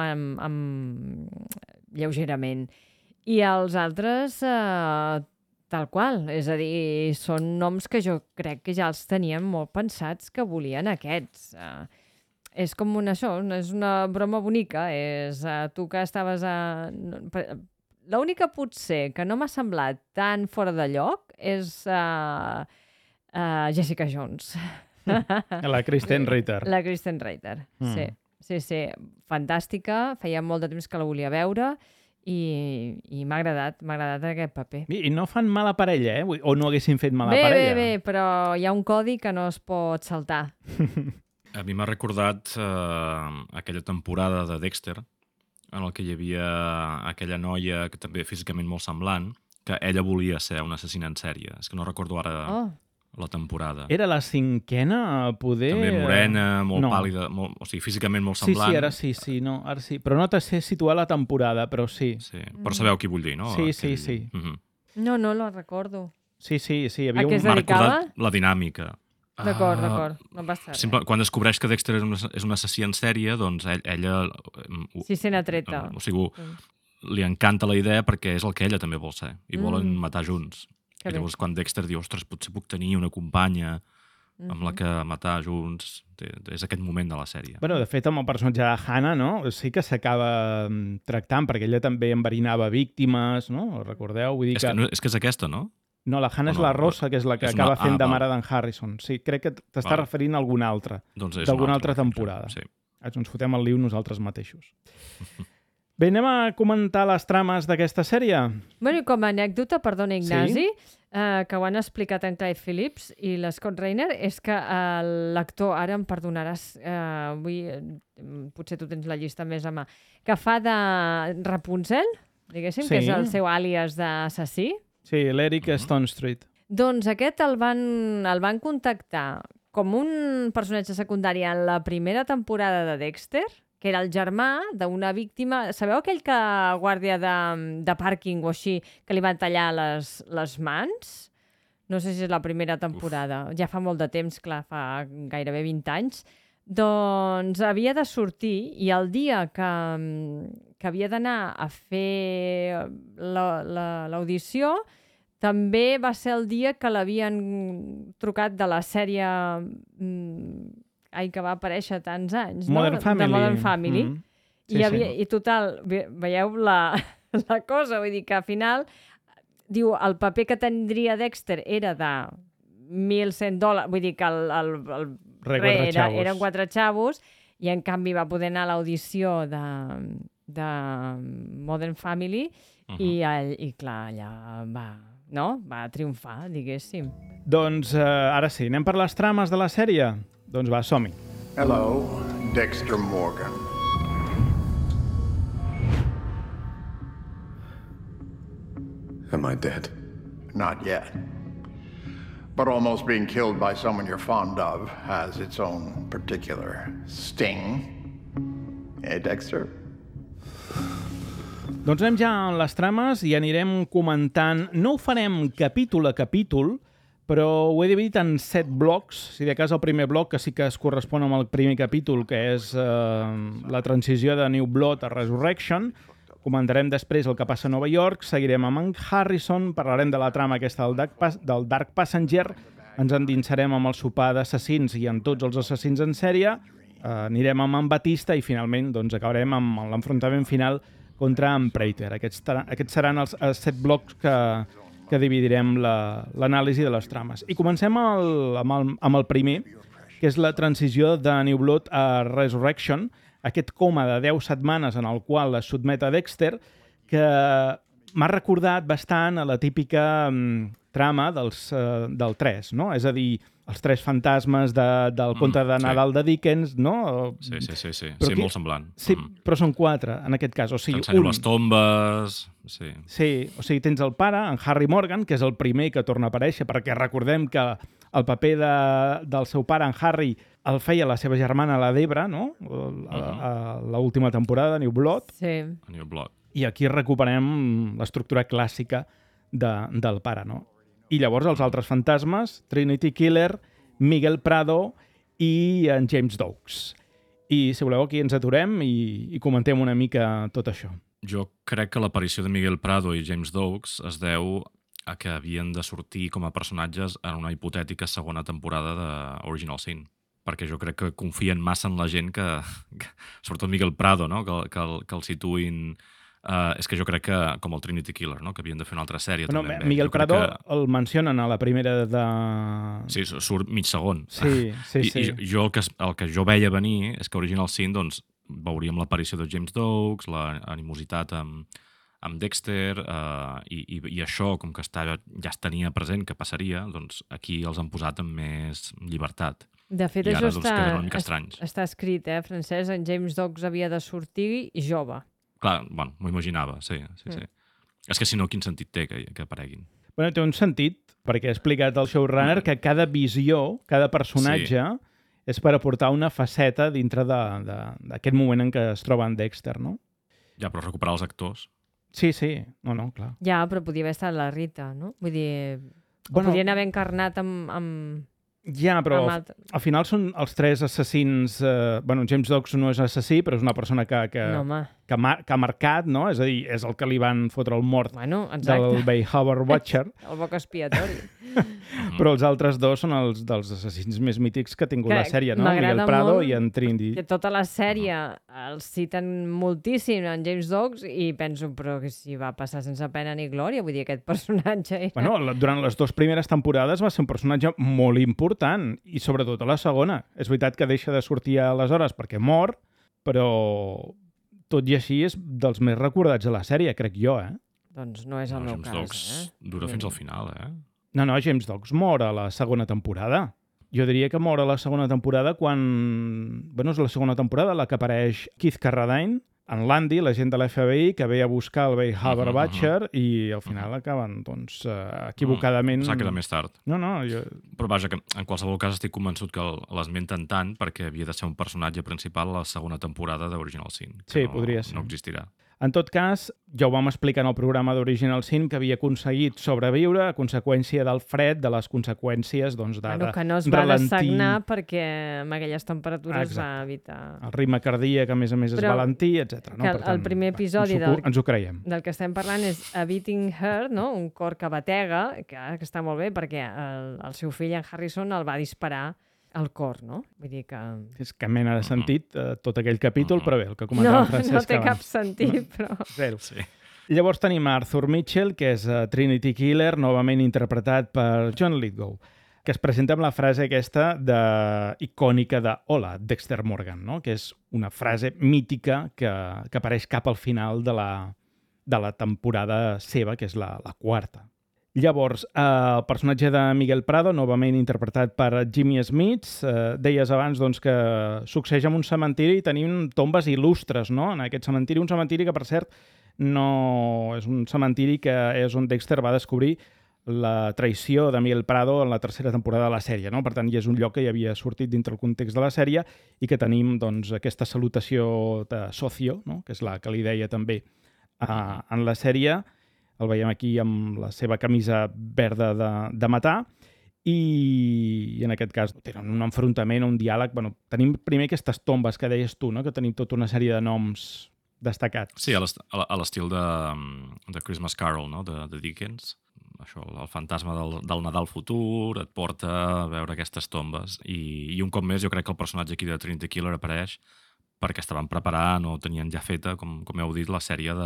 lleugerament. I els altres, tal qual. És a dir, són noms que jo crec que ja els tenien molt pensats que volien aquests. És com això, és una broma bonica. És tu que estaves l'única potser que no m'ha semblat tan fora de lloc és Jessica Jones. La Kristen Ritter. La Kristen Ritter, sí. Fantàstica, feia molt de temps que la volia veure i m'ha agradat aquest paper. I no fan mala parella, o no haguessin fet mala parella. Bé, però hi ha un codi que no es pot saltar. A mi m'ha recordat aquella temporada de Dexter, en el que hi havia aquella noia que també físicament molt semblant, que ella volia ser una assassina en sèrie. És que no recordo ara la temporada. Era la 5a, poder... També morena, molt pàl·lida, o sigui, físicament molt semblant. Ara sí. Però no te sé situar la temporada, però sí. Sí, però sabeu qui vull dir, no? Sí. No la recordo. Sí. Hi havia a què es M'ha dedicava? recordat la dinàmica. D'acord, no passa res. Quan descobreix que Dexter és un assassí en sèrie, doncs ella... Sí, sent atreta. O sigui, li encanta la idea perquè és el que ella també vol ser. I volen matar junts. I llavors quan Dexter diu, ostres, potser puc tenir una companya amb la que matar junts, és aquest moment de la sèrie. Bueno, de fet, amb el personatge de Hannah, no? Sí que s'acaba tractant, perquè ella també enverinava víctimes, no? Recordeu? Vull dir és que és aquesta, no? No, la Hannah és la Rosa, que és la que acaba fent de mare d'en Harrison. Sí, crec que t'està referint a alguna altra, d'alguna altra temporada. Sí. Ens fotem el liu nosaltres mateixos. Bé, anem a comentar les trames d'aquesta sèrie. Bueno, i com a anècdota, perdona, Ignasi, que ho han explicat en Clyde Phillips i l'Scott Rainer, és que l'actor, ara em perdonaràs, potser tu tens la llista més a mà, que fa de Rapunzel, diguéssim, que és el seu àlies d'assassí. Sí, l'Eric Stone Street. Doncs aquest el van contactar com un personatge secundari en la primera temporada de Dexter, que era el germà d'una víctima... Sabeu aquell guàrdia de pàrquing o així, que li van tallar les mans? No sé si és la primera temporada. Ja fa molt de temps, clar, fa gairebé 20 anys. Doncs havia de sortir i el dia que havia d'anar a fer l'audició també va ser el dia que l'havien trucat de la sèrie... que va aparèixer tants anys, no? Modern Family. De Modern Family. I total, veieu la cosa, vull dir que al final diu, el paper que tindria Dexter era de $1.100, vull dir que el eren 4 xavos, i en canvi va poder anar a l'audició de Modern Family i clar, allà no? Va triomfar, diguéssim. Doncs ara sí, anem per les trames de la sèrie? Doncs va, som-hi. Hello, Dexter Morgan. Am I dead? Not yet. But almost being killed by someone you're fond of has its own particular sting. Eh, Dexter? Doncs anem ja en les trames i anirem comentant. No ho farem capítol a capítol, però ho he dividit en 7 blocs. Si de cas el primer bloc, que sí que es correspon amb el primer capítol, que és la transició de New Blood a Resurrection. Comentarem després el que passa a Nova York, seguirem amb en Harrison, parlarem de la trama aquesta del Dark Passenger, ens endinsarem amb el sopar d'assassins i amb tots els assassins en sèrie, anirem amb en Batista i finalment doncs, acabarem amb l'enfrontament final contra en Prater. Aquests seran els 7 blocs que dividirem l'anàlisi de les trames. I comencem amb el primer, que és la transició de New Blood a Resurrection, aquest coma de 10 setmanes en el qual es sotmet a Dexter, que m'ha recordat bastant a la típica trama del 3, no? És a dir, els 3 fantasmes del conte de Nadal de Dickens, no? Sí, Però sí, molt semblant. Sí, però són 4, en aquest cas. O sigui, t'ensenyo les tombes... Sí. Sí, o sigui, tens el pare, en Harry Morgan, que és el primer que torna a aparèixer, perquè recordem que el paper del seu pare, en Harry, el feia la seva germana, la Debra, no? A l'última temporada de New Blood. Sí. A New Blood. I aquí recuperem l'estructura clàssica del pare, no? I llavors els altres fantasmes, Trinity Killer, Miguel Prado i en James Doakes. I, si voleu, aquí ens aturem i comentem una mica tot això. Jo crec que l'aparició de Miguel Prado i James Doakes es deu a que havien de sortir com a personatges en una hipotètica segona temporada d'Original Sin. Perquè jo crec que confien massa en la gent que sobretot Miguel Prado, no? que el situïn... és que jo crec que, com el Trinity Killer, no? Que havien de fer una altra sèrie. Bueno, també. Miguel Prado el mencionen a la primera de... Sí, surt mig segon. Sí. I jo el que jo veia venir és que Original Sin, doncs, veuríem l'aparició de James Doakes, l'animositat amb Dexter, i això, com que ja es tenia present que passaria, doncs aquí els han posat amb més llibertat. De fet, I això ara, doncs, queden una mica estranys. està escrit, Francesc? En James Doakes havia de sortir jove. Clar, bueno, m'ho imaginava, sí. És que si no, quin sentit té que apareguin? Bueno, té un sentit, perquè ha explicat el showrunner que cada visió, cada personatge, és per aportar una faceta dintre d'aquest moment en què es troba en Dexter, no? Ja, però recuperar els actors... Sí, no, clar. Ja, però podia haver estat la Rita, no? Vull dir, podrien haver encarnat amb... Ja, però al final són els 3 assassins... James Doakes no és assassí, però és una persona que ha marcat, no? És a dir, és el que li van fotre el mort del Bayhaber Watcher. El boc expiatori. Però els altres 2 són els dels assassins més mítics que ha tingut la sèrie, no? Miguel Prado i en Trinity. Que tota la sèrie els citen moltíssim en James Doakes i penso, però que si va passar sense pena ni glòria, vull dir, aquest personatge... Durant les 2 primeres temporades va ser un personatge molt important, i sobretot a la segona. És veritat que deixa de sortir aleshores perquè mor, però tot i així és dels més recordats de la sèrie, crec jo, Doncs no és el meu cas, James Doakes dura fins al final, No, James Doakes mor a la segona temporada. Jo diria que mor a la segona temporada quan... és la segona temporada la que apareix Keith Carradine, en Landy, l'agent de l'FBI, que ve a buscar el Bayhaber Watcher i al final acaben, doncs, equivocadament... Pensava que era més tard. No, Però vaja, que en qualsevol cas estic convençut que l'esmenten tant perquè havia de ser un personatge principal a la segona temporada d'Original Sin. Sí, podria ser. No existirà. En tot cas, ja ho vam explicar en el programa d'Original Sin, que havia aconseguit sobreviure a conseqüència del fred, de les conseqüències de que no es va dessagnar perquè amb aquelles temperatures va evitar... El ritme cardíac, a més és valentí, etc. No? El primer episodi ens ho creiem. Del que estem parlant és A Beating Heart, no? Un cor que batega, que està molt bé perquè el seu fill, en Harrison, el va disparar al cor, no? Vull dir que... És que mena de sentit tot aquell capítol, però bé, el que comentava Francesc no té cap sentit, però... Zero. Sí. Llavors tenim Arthur Mitchell, que és Trinity Killer, novament interpretat per John Lithgow, que es presenta amb la frase aquesta icònica de Hola, Dexter Morgan, no? Que és una frase mítica que apareix cap al final de la temporada seva, que és la 4. Llavors, el personatge de Miguel Prado, novament interpretat per Jimmy Smits, deies abans doncs, que succeeix en un cementiri i tenim tombes il·lustres, no?, en aquest cementiri. Un cementiri que, per cert, no és un cementiri que és on Dexter va descobrir la traïció de Miguel Prado en la tercera temporada de la sèrie, no? Per tant, és un lloc que ja havia sortit dintre el context de la sèrie i que tenim doncs, aquesta salutació de socio, no?, que és la que li deia també en la sèrie. El veiem aquí amb la seva camisa verda de matar i en aquest cas tenen un enfrontament, un diàleg. Bueno, tenim primer aquestes tombes que deies tu, no?, que tenim tota una sèrie de noms destacats. Sí, a l'estil de Christmas Carol, no?, de Dickens. Això, el fantasma del Nadal futur et porta a veure aquestes tombes. I un cop més, jo crec que el personatge aquí de Trinity Killer apareix perquè estaven preparant o tenien ja feta, com heu dit, la sèrie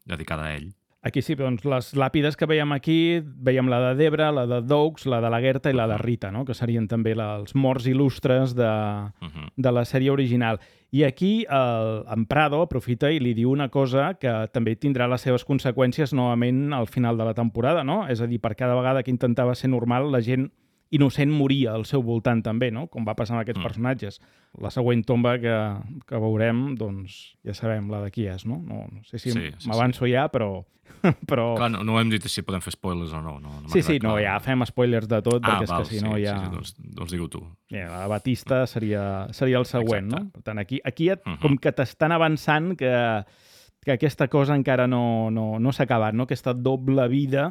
dedicada a ell. Aquí sí, doncs les làpides que veiem aquí, veiem la de Debra, la de Doakes, la de la Gerta i la de Rita, no?, que serien també els morts il·lustres de la sèrie original. I aquí en Prado aprofita i li diu una cosa que també tindrà les seves conseqüències novament al final de la temporada, no? És a dir, per cada vegada que intentava ser normal, la gent innocent moria al seu voltant també, no?, com va passar amb aquests personatges. La següent tomba que veurem, doncs ja sabem la de qui és, no? No sé si m'avanço ja, però... Clar, no hem dit si podem fer spoilers o no. Sí, ja fem spoilers de tot, perquè és que si no ja... Doncs digue-ho tu. La Batista seria el següent, no? Per tant, aquí com que t'estan avançant que aquesta cosa encara no s'ha acabat, no? Aquesta doble vida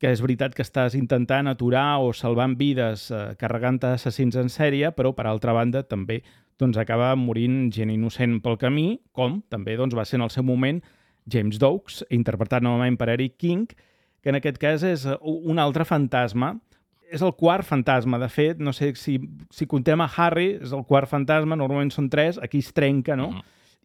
que és veritat que estàs intentant aturar o salvant vides carregant assassins en sèrie, però, per altra banda, també doncs, acaba morint gent innocent pel camí, com també doncs, va ser en el seu moment James Doakes, interpretat novament per Eric King, que en aquest cas és un altre fantasma. És el quart fantasma, de fet, no sé si contem a Harry, és el quart fantasma, normalment són 3, aquí es trenca, no?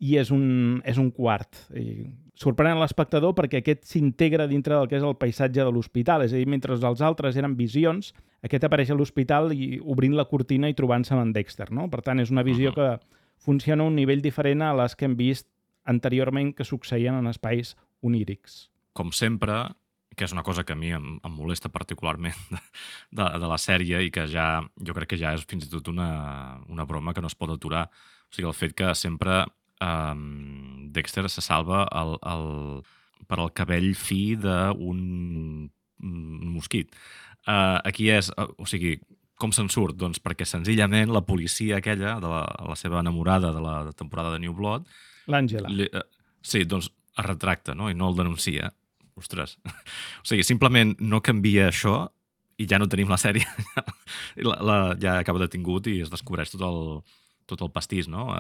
I és un quart. I sorprenent l'espectador perquè aquest s'integra dintre del que és el paisatge de l'hospital. És a dir, mentre els altres eren visions, aquest apareix a l'hospital i obrint la cortina i trobant-se amb en Dexter, no? Per tant, és una visió que funciona a un nivell diferent a les que hem vist anteriorment que succeïen en espais onírics. Com sempre, que és una cosa que a mi em molesta particularment de la sèrie i que jo crec que ja és fins i tot una broma que no es pot aturar. O sigui, el fet que sempre Dexter se salva per al cabell fi d'un mosquit. Aquí és, o sigui, com se'n surt? Doncs perquè senzillament la policia aquella, de la seva enamorada de la temporada de New Blood, l'Àngela. Sí, doncs es retracta, no?, i no el denuncia. Ostres. O sigui, simplement no canvia això i ja no tenim la sèrie. Ja acaba detingut i es descobreix tot el pastís, no?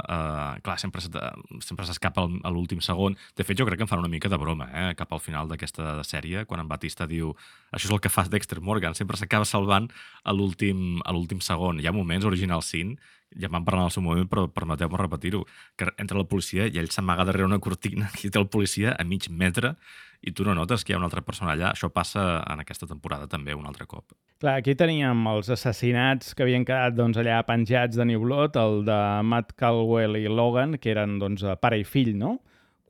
Clar, sempre s'escapa a l'últim segon. De fet, jo crec que em fan una mica de broma, cap al final d'aquesta sèrie, quan en Batista diu això és el que fa Dexter Morgan, sempre s'acaba salvant a l'últim segon. Hi ha moments, Original Sin, ja vam parlar en el seu moment, però permeteu-me repetir-ho, que entra la policia i ell s'amaga darrere una cortina i té el policia a mig metre i tu no notes que hi ha una altra persona allà. Això passa en aquesta temporada també un altre cop. Clar, aquí teníem els assassinats que havien quedat doncs, allà penjats de New Blood, el de Matt Caldwell i Logan, que eren doncs, pare i fill, no?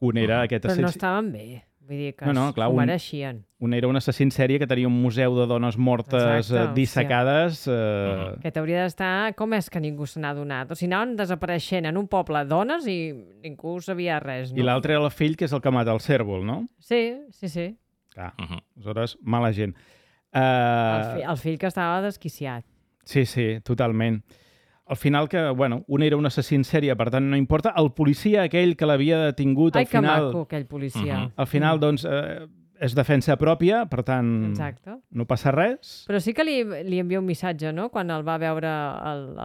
Un era aquest Però no estaven bé. Vull dir que clar, s'ho mereixien. Un era un assassí en sèrie que tenia un museu de dones mortes dissecades. Que t'hauria d'estar... Com és que ningú se n'ha donat? O sigui, anaven desapareixent en un poble dones i ningú sabia res, no? I l'altre era el fill, que és el que mata el cèrvol, no? Sí. Clar, aleshores, mala gent. El fill que estava desquiciat. Sí, totalment. Al final, un era un assassí en sèrie, per tant no importa. El policia aquell que l'havia detingut, al final... Ai, que maco, aquell policia. Al final, doncs, és defensa pròpia, per tant, no passa res. Però sí que li envia un missatge, no?, quan el va veure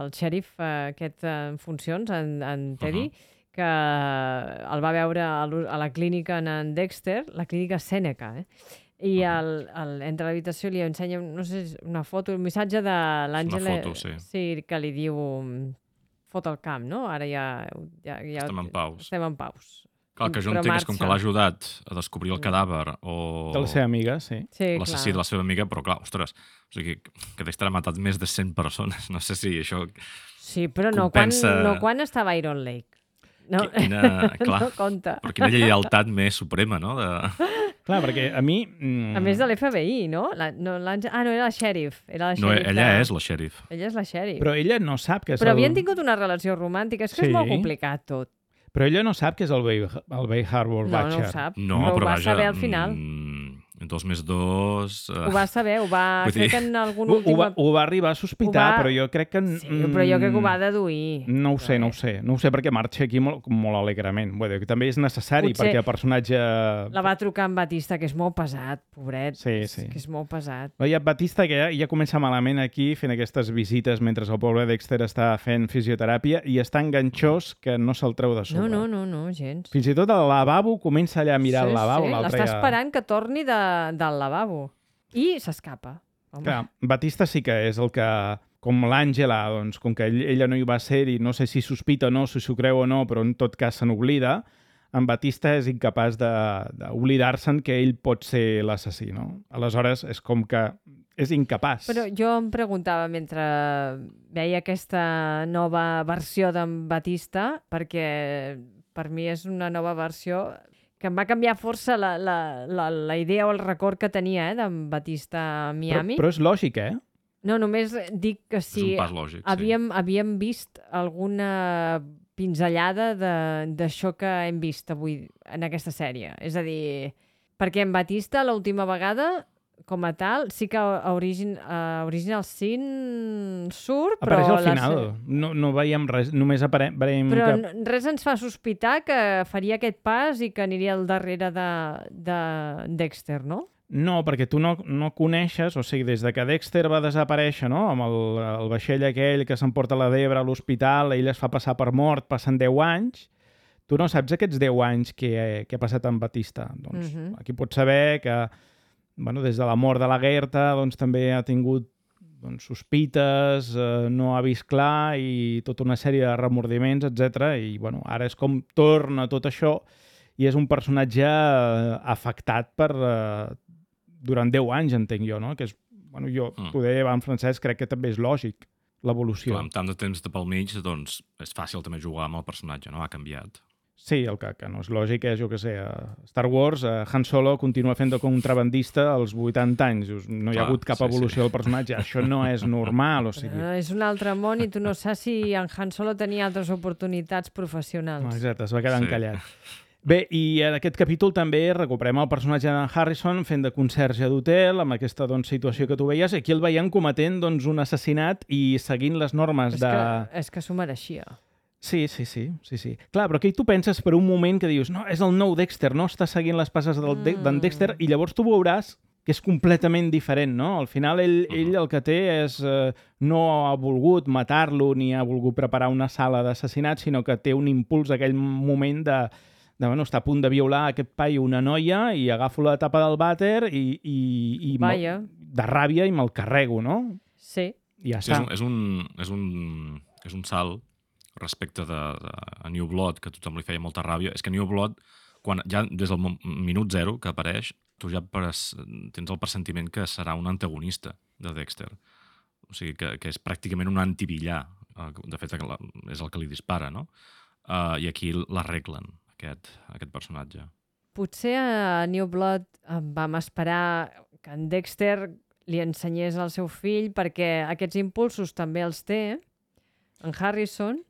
el xèrif aquest en funcions, en Teddy, que el va veure a la clínica en Dexter, la clínica Sèneca, i entre l'habitació li ensenya, no sé, una foto, un missatge de l'Àngela... Una foto, sí, que li diu fot el camp, no? Ara ja estem en paus. Estem en paus. Clar, que jo entenc és com que l'ha ajudat a descobrir el cadàver o... De la seva amiga, sí. L'assassí de la seva amiga, però clar, ostres, o sigui, que Dexter ha matat més de 100 persones. No sé si això sí, però compensa... no quan estava a Iron Lake. No, Clar, no compta. però quina lleialtat més suprema, no? Clar, perquè a mi... A més de l'FBI, no? No era la xèrif. Era la No, xèrif ella és la xèrif. Ella és la xèrif. Però ella no sap que és Però havien tingut una relació romàntica. És que Sí. és molt complicat tot. Però ella no sap que és el Bay Harbor No, Butcher. ho sap. No, ho però va vaja... saber al final. 2 més 2... Ho va saber, Vull dir- crec que en algun Ho últim... va arribar a sospitar, però jo crec que... Sí, però jo crec que ho va deduir. No ho sé, no ho sé perquè marxa aquí molt alegrement. Vull dir, que també és necessari Potser perquè el personatge... La va trucar en Batista, que és molt pesat, pobret. Sí. Que és molt pesat. Hi ha Batista que ja comença malament aquí fent aquestes visites mentre el pobre Dexter està fent fisioteràpia i està enganxós que no se'l treu de sobre. No, gens. Fins i tot al lavabo comença allà a mirar el lavabo. Sí, l'altre l'està ja... esperant que torni del lavabo. I s'escapa. Home. Clar, Batista sí que és el que, com l'Àngela, doncs, com que ella no hi va ser i no sé si sospita o no, si s'ho creu o no, però en tot cas se n'oblida, en Batista és incapaç d'oblidar-se'n que ell pot ser l'assassí, no? Aleshores, és com que és incapaç. Però jo em preguntava mentre veia aquesta nova versió d'en Batista, perquè per mi és una nova versió que em va canviar força la idea o el record que tenia d'en Batista a Miami. Però és lògic, eh? No, només dic que És si un pas lògic, havíem vist alguna pinzellada d'això que hem vist avui en aquesta sèrie. És a dir, perquè en Batista l'última vegada, com a tal, sí que a Original Sin surt, però... Apareix al final. No veiem res, només veiem Però que... res ens fa sospitar que faria aquest pas i que aniria al darrere de Dexter, no? No, perquè tu no coneixes, o sigui, des de que Dexter va desaparèixer, no?, amb el vaixell aquell que s'emporta la Debra a l'hospital, ell es fa passar per mort, passen 10 anys, tu no saps aquests 10 anys que ha passat amb Batista. Doncs aquí pots saber que, bueno, des de la mort de la Gerta, doncs també ha tingut sospites, no ha vist clar i tota una sèrie de remordiments, etc. I bueno, ara és com torna tot això i és un personatge afectat per... durant 10 anys, entenc jo, no? Que és, bueno, jo, poder en francès, crec que també és lògic, l'evolució. Clar, amb tant de temps de pel mig, doncs és fàcil també jugar amb el personatge, no? Ha canviat. Sí, el que no és lògic és, jo què sé, Star Wars, Han Solo continua fent de contrabandista als 80 anys. No hi ha hagut cap evolució del personatge. Això no és normal, o sigui... És un altre món i tu no saps si en Han Solo tenia altres oportunitats professionals. Exacte, es va quedar encallat. Bé, i en aquest capítol també recuperem el personatge de Harrison fent de conserge d'hotel, amb aquesta situació que tu veies. Aquí el veiem cometent un assassinat i seguint les normes És que s'ho mereixia. Sí. Clar, però aquí tu penses per un moment que dius no, és el nou Dexter, no està seguint les passes d'en Dexter, i llavors tu veuràs que és completament diferent, no? Al final ell el que té és... no ha volgut matar-lo ni ha volgut preparar una sala d'assassinat, sinó que té un impuls aquell moment de bueno, està a punt de violar aquest paio una noia i agafo la tapa del vàter i de ràbia i me'l carrego, no? Sí. I ja està. És un salt respecte a New Blood, que a tothom li feia molta ràbia. És que New Blood, ja des del minut 0 que apareix, tu ja tens el pressentiment que serà un antagonista de Dexter. O sigui, que és pràcticament un antivillà. De fet, és el que li dispara, no? I aquí l'arreglen, aquest personatge. Potser a New Blood vam esperar que en Dexter li ensenyés al seu fill, perquè aquests impulsos també els té, en Harrison.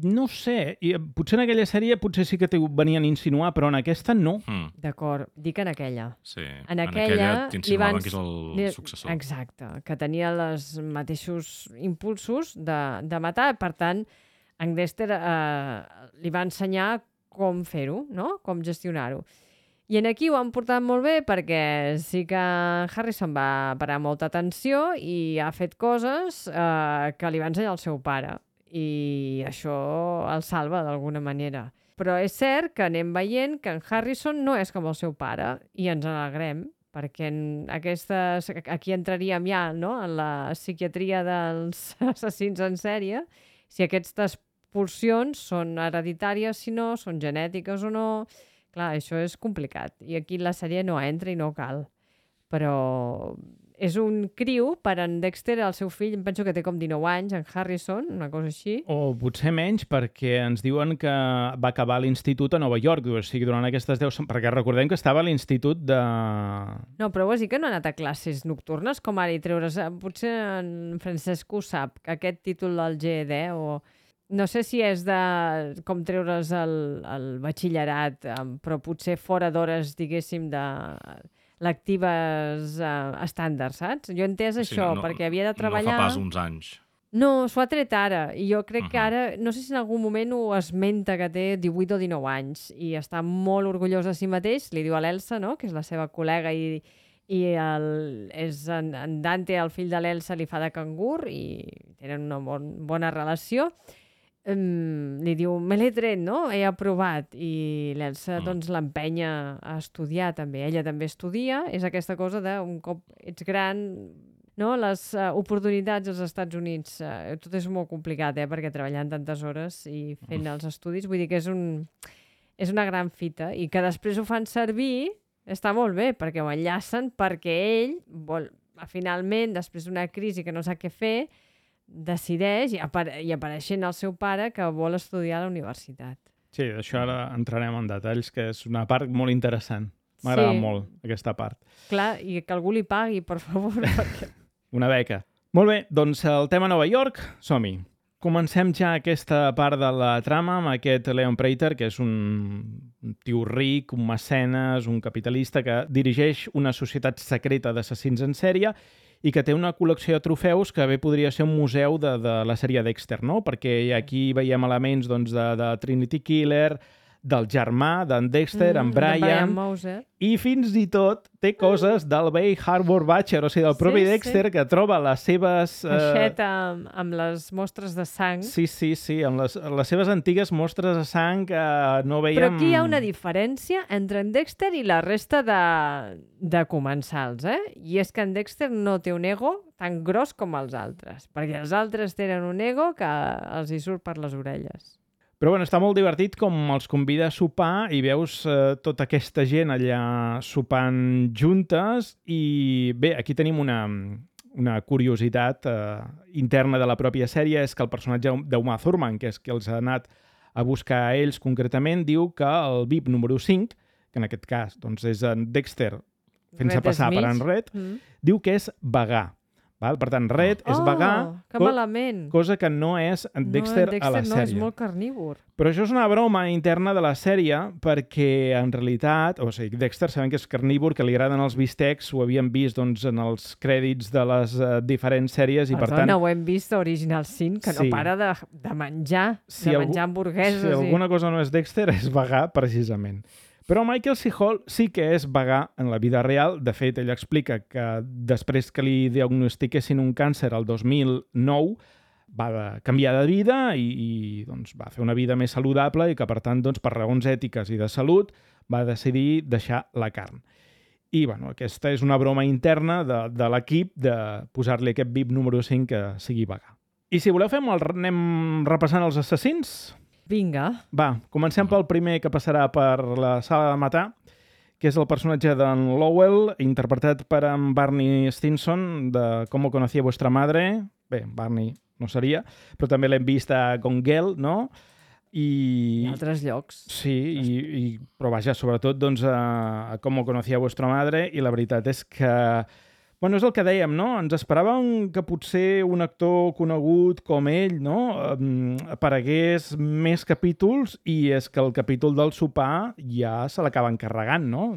No sé, potser en aquella sèrie sí que t'ho venien a insinuar, però en aquesta no. D'acord, dic en aquella. Sí, en aquella t'insinuaven que és el successor. Exacte, que tenia els mateixos impulsos de matar, per tant, en Dexter li va ensenyar com fer-ho, no? Com gestionar-ho. I en aquí ho han portat molt bé perquè sí que Harrison va parar molta atenció i ha fet coses que li va ensenyar el seu pare. I això el salva d'alguna manera. Però és cert que anem veient que en Harrison no és com el seu pare i ens alegrem, perquè aquí entraríem ja, no?, en la psiquiatria dels assassins en sèrie, si aquestes pulsions són hereditàries, si no, són genètiques o no. Clar, això és complicat. I aquí la sèrie no entra i no cal. Però és un criu per en Dexter, el seu fill, em penso que té com 19 anys, en Harrison, una cosa així. O potser menys, perquè ens diuen que va acabar l'institut a Nova York, o sigui, durant aquestes 10... Perquè recordem que estava a l'institut de... No, però vols dir que no ha anat a classes nocturnes, com ara i treure's... Potser en Francesc ho sap, que aquest títol del GED, o... No sé si és de com treure's el batxillerat, però potser fora d'hores, diguéssim, de lectives estàndards, saps? Jo he entès això, perquè havia de treballar... No fa pas uns anys. No, s'ho ha tret ara, i jo crec que ara, no sé si en algun moment ho esmenta que té 18 o 19 anys, i està molt orgullós de si mateix, li diu a l'Elsa, no?, que és la seva col·lega, i en Dante, el fill de l'Elsa, li fa de cangur, i tenen una bona relació. Li diu, me l'he tret, no? He aprovat. I l'Elsa doncs l'empenya a estudiar també. Ella també estudia. És aquesta cosa de un cop ets gran, no? Les oportunitats als Estats Units, tot és molt complicat, perquè treballant tantes hores i fent els estudis, vull dir que és una gran fita. I que després ho fan servir, està molt bé, perquè ho enllacen, perquè ell vol, finalment, després d'una crisi que no sap què fer, decideix, i apareixent el seu pare, que vol estudiar a la universitat. Sí, d'això ara entrarem en detalls, que és una part molt interessant. M'agrada molt, aquesta part. Clar, i que algú li pagui, per favor. Perquè... Una beca. Molt bé, doncs el tema Nova York, som-hi. Comencem ja aquesta part de la trama amb aquest Leon Prater, que és un tio ric, un mecenes, un capitalista que dirigeix una societat secreta d'assassins en sèrie i que té una col·lecció de trofeus que bé podria ser un museu de la sèrie Dexter, no? Perquè aquí veiem elements doncs, de Trinity Killer, del germà d'en Dexter, en Brian Mauser. I fins i tot té coses del Bay Harbor Butcher, o sigui, del propi Dexter, que troba les seves... Caixeta amb les mostres de sang. Sí, amb les seves antigues mostres de sang que no veiem... Però aquí hi ha una diferència entre en Dexter i la resta de comensals, I és que en Dexter no té un ego tan gros com els altres, perquè els altres tenen un ego que els hi surt per les orelles. Però bueno, està molt divertit com els convida a sopar i veus tota aquesta gent allà sopant juntes i bé, aquí tenim una curiositat interna de la pròpia sèrie, és que el personatge d'Uma Thurman, que és qui els ha anat a buscar a ells concretament, diu que el VIP número 5, que en aquest cas doncs, és en Dexter fent-se passar per en Red, diu que és vegà. Val? Per tant, Red és vegà, que malament. Cosa que no és en Dexter a la sèrie. No, és molt carnívor. Però això és una broma interna de la sèrie perquè, en realitat, o sigui, Dexter sabem que és carnívor, que li agraden els bistecs, ho havíem vist doncs, en els crèdits de les diferents sèries. I per tant, ho hem vist a Original Sin, que no para de menjar, de menjar hamburgueses. Si alguna cosa no és Dexter, és vegà, precisament. Però Michael C. Hall sí que és vegà en la vida real. De fet, ell explica que després que li diagnostiquessin un càncer el 2009 va canviar de vida i doncs, va fer una vida més saludable i que, per tant, doncs, per raons ètiques i de salut, va decidir deixar la carn. I bueno, aquesta és una broma interna de l'equip de posar-li aquest VIP número 5 que sigui vegà. I si voleu anem repassant els assassins? Vinga. Va, comencem pel primer que passarà per la sala de matar, que és el personatge d'en Lowell, interpretat per en Barney Stinson, de Com conocía vuestra madre. Bé, Barney no seria, però també l'hem vist a Gone Girl, no? I altres llocs. Sí, però vaja, sobretot doncs, a Com conocía vuestra madre, i la veritat és que... Bueno, és el que dèiem, no? Ens esperàvem que potser un actor conegut com ell, no?, aparegués més capítols i és que el capítol del sopar ja se l'acaba encarregant, no?,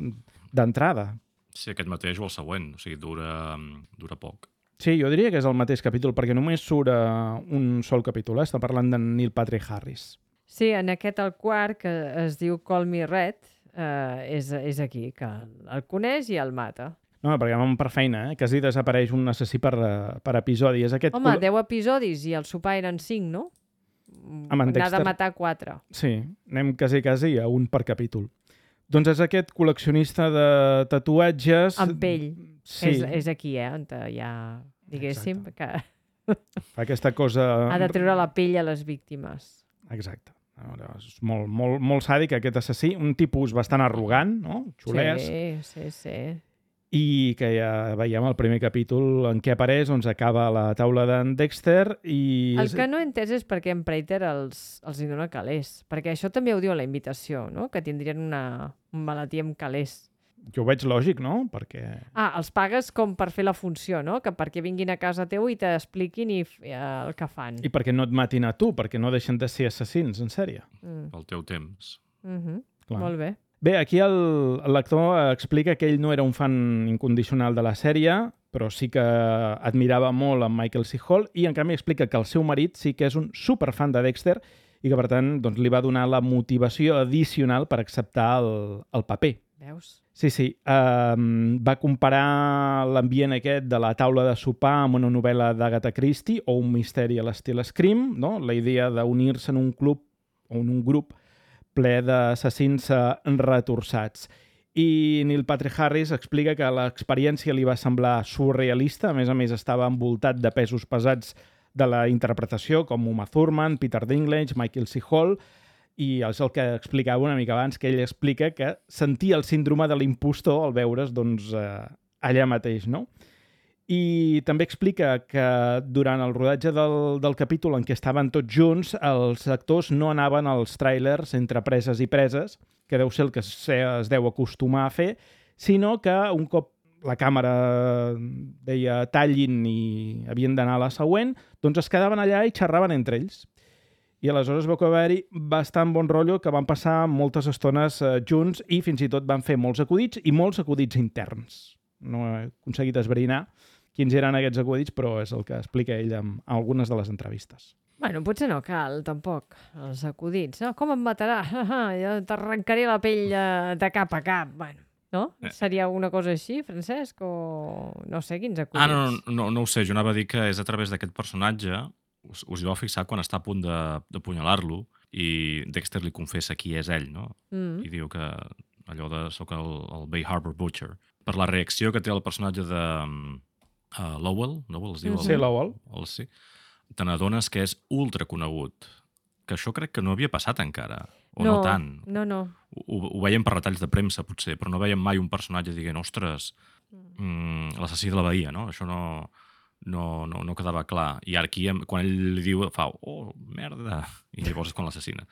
d'entrada. Sí, aquest mateix o el següent, o sigui, dura poc. Sí, jo diria que és el mateix capítol, perquè només surt un sol capítol, està parlant de Neil Patrick Harris. Sí, en aquest el quart, que es diu Call Me Red, és aquí, que el coneix i el mata. No, perquè vam per feina, quasi desapareix un assassí per episodi. És aquest 10 episodis i el sopar eren 5, no? N'ha de matar 4. Sí, anem quasi a un per capítol. Doncs és aquest col·leccionista de tatuatges... Amb pell. Sí. És aquí, on ja, diguéssim, que... Fa aquesta cosa... Ha de treure la pell a les víctimes. Exacte. És molt sàdic, aquest assassí. Un tipus bastant arrogant, no? Xulès. Sí. i que ja veiem el primer capítol en què apareix, doncs acaba a la taula d'en Dexter i... El que no he entès és per què en Prater els hi dona calés, perquè això també ho diu a la invitació, no? Que tindrien un malatí amb calés. Jo ho veig lògic, no? Perquè... Els pagues com per fer la funció, no? Que perquè vinguin a casa teu i t'expliquin el que fan. I perquè no et matin a tu, perquè no deixen de ser assassins, en sèrie. Pel teu temps. Clar. Molt bé. Bé, aquí l'actor explica que ell no era un fan incondicional de la sèrie, però sí que admirava molt en Michael C. Hall i, en canvi, explica que el seu marit sí que és un superfan de Dexter i que, per tant, doncs, li va donar la motivació addicional per acceptar el paper. Veus? Sí. Va comparar l'ambient aquest de la taula de sopar amb una novel·la d'Agatha Christie o un misteri a l'estil Scream, no? La idea d'unir-se en un club o en un grup ple d'assassins retorçats. I Neil Patrick Harris explica que l'experiència li va semblar surrealista, a més estava envoltat de pesos pesats de la interpretació, com Uma Thurman, Peter Dinklage, Michael C. Hall, i és el que explicava una mica abans, que ell explica que sentia el síndrome de l'impostor al veure's doncs, allà mateix, no? I també explica que durant el rodatge del capítol en què estaven tots junts, els actors no anaven als tràilers entre preses i preses, que deu ser el que es deu acostumar a fer, sinó que un cop la càmera deia tallin i havien d'anar a la següent, doncs es quedaven allà i xerraven entre ells. I aleshores veu que va haver-hi bastant bon rotllo, que van passar moltes estones junts i fins i tot van fer molts acudits i molts acudits interns. No he aconseguit esbrinar quins eren aquests acudits, però és el que explica ell en algunes de les entrevistes. Bueno, potser no cal, tampoc, els acudits. No? Com em matarà? Jo t'arrencaré la pell de cap a cap. Bueno, no? Seria una cosa així, Francesc? O no sé, quins acudits? No ho sé. Jo anava a dir que és a través d'aquest personatge, us hi vau fixar quan està a punt d'apunyalar-lo i Dexter li confessa qui és ell, no? I diu que allò de soc el Bay Harbor Butcher. Per la reacció que té el personatge de... Lowell es diu? Sí, Lowell. Sí. Te n'adones que és ultra conegut. Que això crec que no havia passat encara. O no tant. No. Ho veiem per retalls de premsa, potser, però no veiem mai un personatge dient, ostres, l'assassí de la Bahia, no? Això no quedava clar. I ara aquí, quan ell li diu, fa, oh, merda, i llavors és quan l'assassina.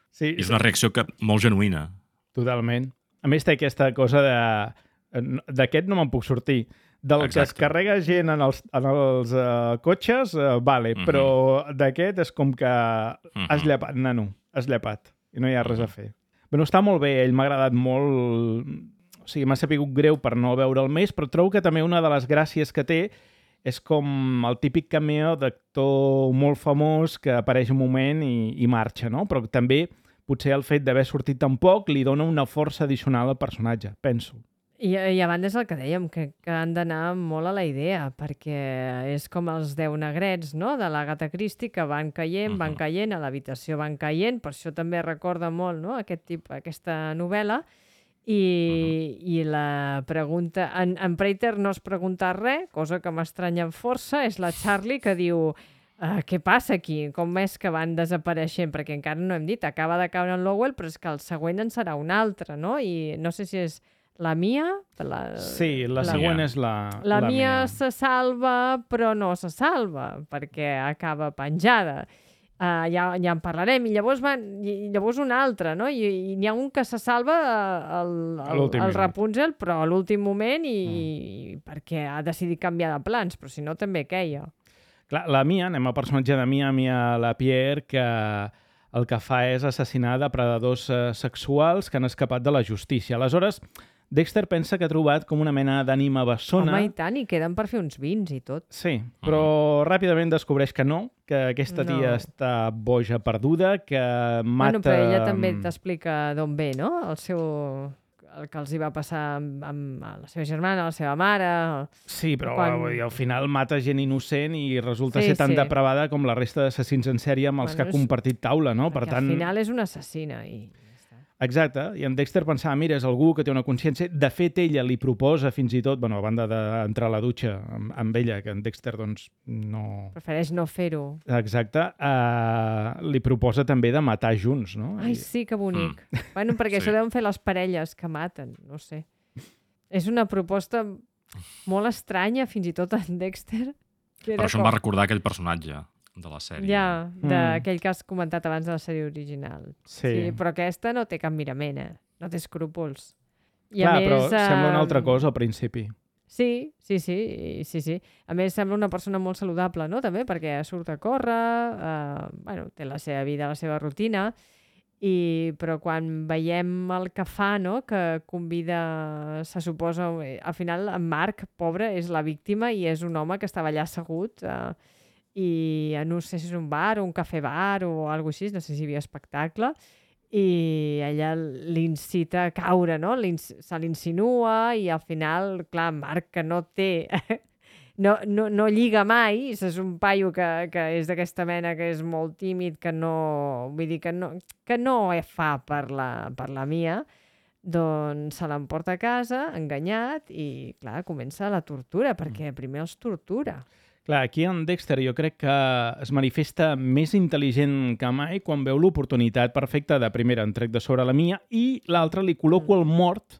Sí, és una reacció molt genuïna. Totalment. A més, té aquesta cosa d'aquest no me'n puc sortir. Del Exacte. Que es carrega gent en els cotxes, vale, però d'aquest és com que has llepat, nano, has llepat, i no hi ha res a fer. Bueno, està molt bé, ell m'ha agradat molt, o sigui, m'ha sapigut greu per no veure'l més, però trobo que també una de les gràcies que té és com el típic cameo d'actor molt famós que apareix un moment i marxa, no? Però també potser el fet d'haver sortit tan poc li dona una força addicional al personatge, penso. I a banda és el que dèiem, que han d'anar molt a la idea, perquè és com els 10 negrets, no?, de l'Agatha Christie, que van caient, a l'habitació van caient, per això també recorda molt, no?, aquesta novel·la, i la pregunta... En Prater no es pregunta res, cosa que m'estranya força, és la Charlie que diu... què passa aquí? Com és que van desapareixent? Perquè encara no hem dit, acaba de caure en Lowell, però és que el següent en serà un altre, no? I no sé si és la Mia? Sí, la següent és la La Mia se salva, però no se salva, perquè acaba penjada. Ja en parlarem. I llavors un altre, no? I n'hi ha un que se salva el Rapunzel, però a l'últim moment i perquè ha decidit canviar de plans, però si no també queia. Clar, la Mia, anem al personatge de Mia Lapierre, que el que fa és assassinar depredadors sexuals que han escapat de la justícia. Aleshores, Dexter pensa que ha trobat com una mena d'ànima bessona. Home, i tant, i queden per fer uns vins i tot. Sí, però ràpidament descobreix que no, que aquesta tia està boja perduda, que mata... Bueno, però ella també t'explica d'on ve, no? El que els hi va passar amb la seva germana, la seva mare... Sí, però al final mata gent innocent i resulta ser tan depravada com la resta d'assassins en sèrie amb els que ha compartit taula, no? Per tant... al final és una assassina i... Exacte, i en Dexter pensava, mira, és algú que té una consciència. De fet, ella li proposa fins i tot, bueno, a banda d'entrar a la dutxa amb ella, que en Dexter, doncs, no... Prefereix no fer-ho. Exacte, li proposa també de matar junts, no? Ai, sí, que bonic. Bueno, perquè això deuen fer les parelles que maten, no sé. És una proposta molt estranya, fins i tot en Dexter. Que Per això em va recordar aquell personatge de la sèrie. Ja, d'aquell que has comentat abans de la sèrie original. Sí. Però aquesta no té cap mirament, no té escrúpols. I Clar, a més, però sembla una altra cosa al principi. Sí. A més, sembla una persona molt saludable, no? També, perquè surt a córrer, té la seva vida, la seva rutina, però quan veiem el que fa, no? Que convida, se suposa... Al final, en Marc, pobre, és la víctima i és un home que estava allà assegut i no sé si és un bar o un cafè-bar o alguna cosa així, no sé si hi havia espectacle, i ella l'incita a caure, no? Se l'insinua i al final, clar, Marc, que no té... no lliga mai, és un paio que és d'aquesta mena, que és molt tímid, que no... Vull dir que no fa per la Mia, doncs se l'emporta a casa, enganyat, i, clar, comença la tortura, perquè primer els tortura. Clar, aquí en Dexter jo crec que es manifesta més intel·ligent que mai quan veu l'oportunitat perfecta de, primera, en trec de sobre la Mia i l'altra li col·loco el mort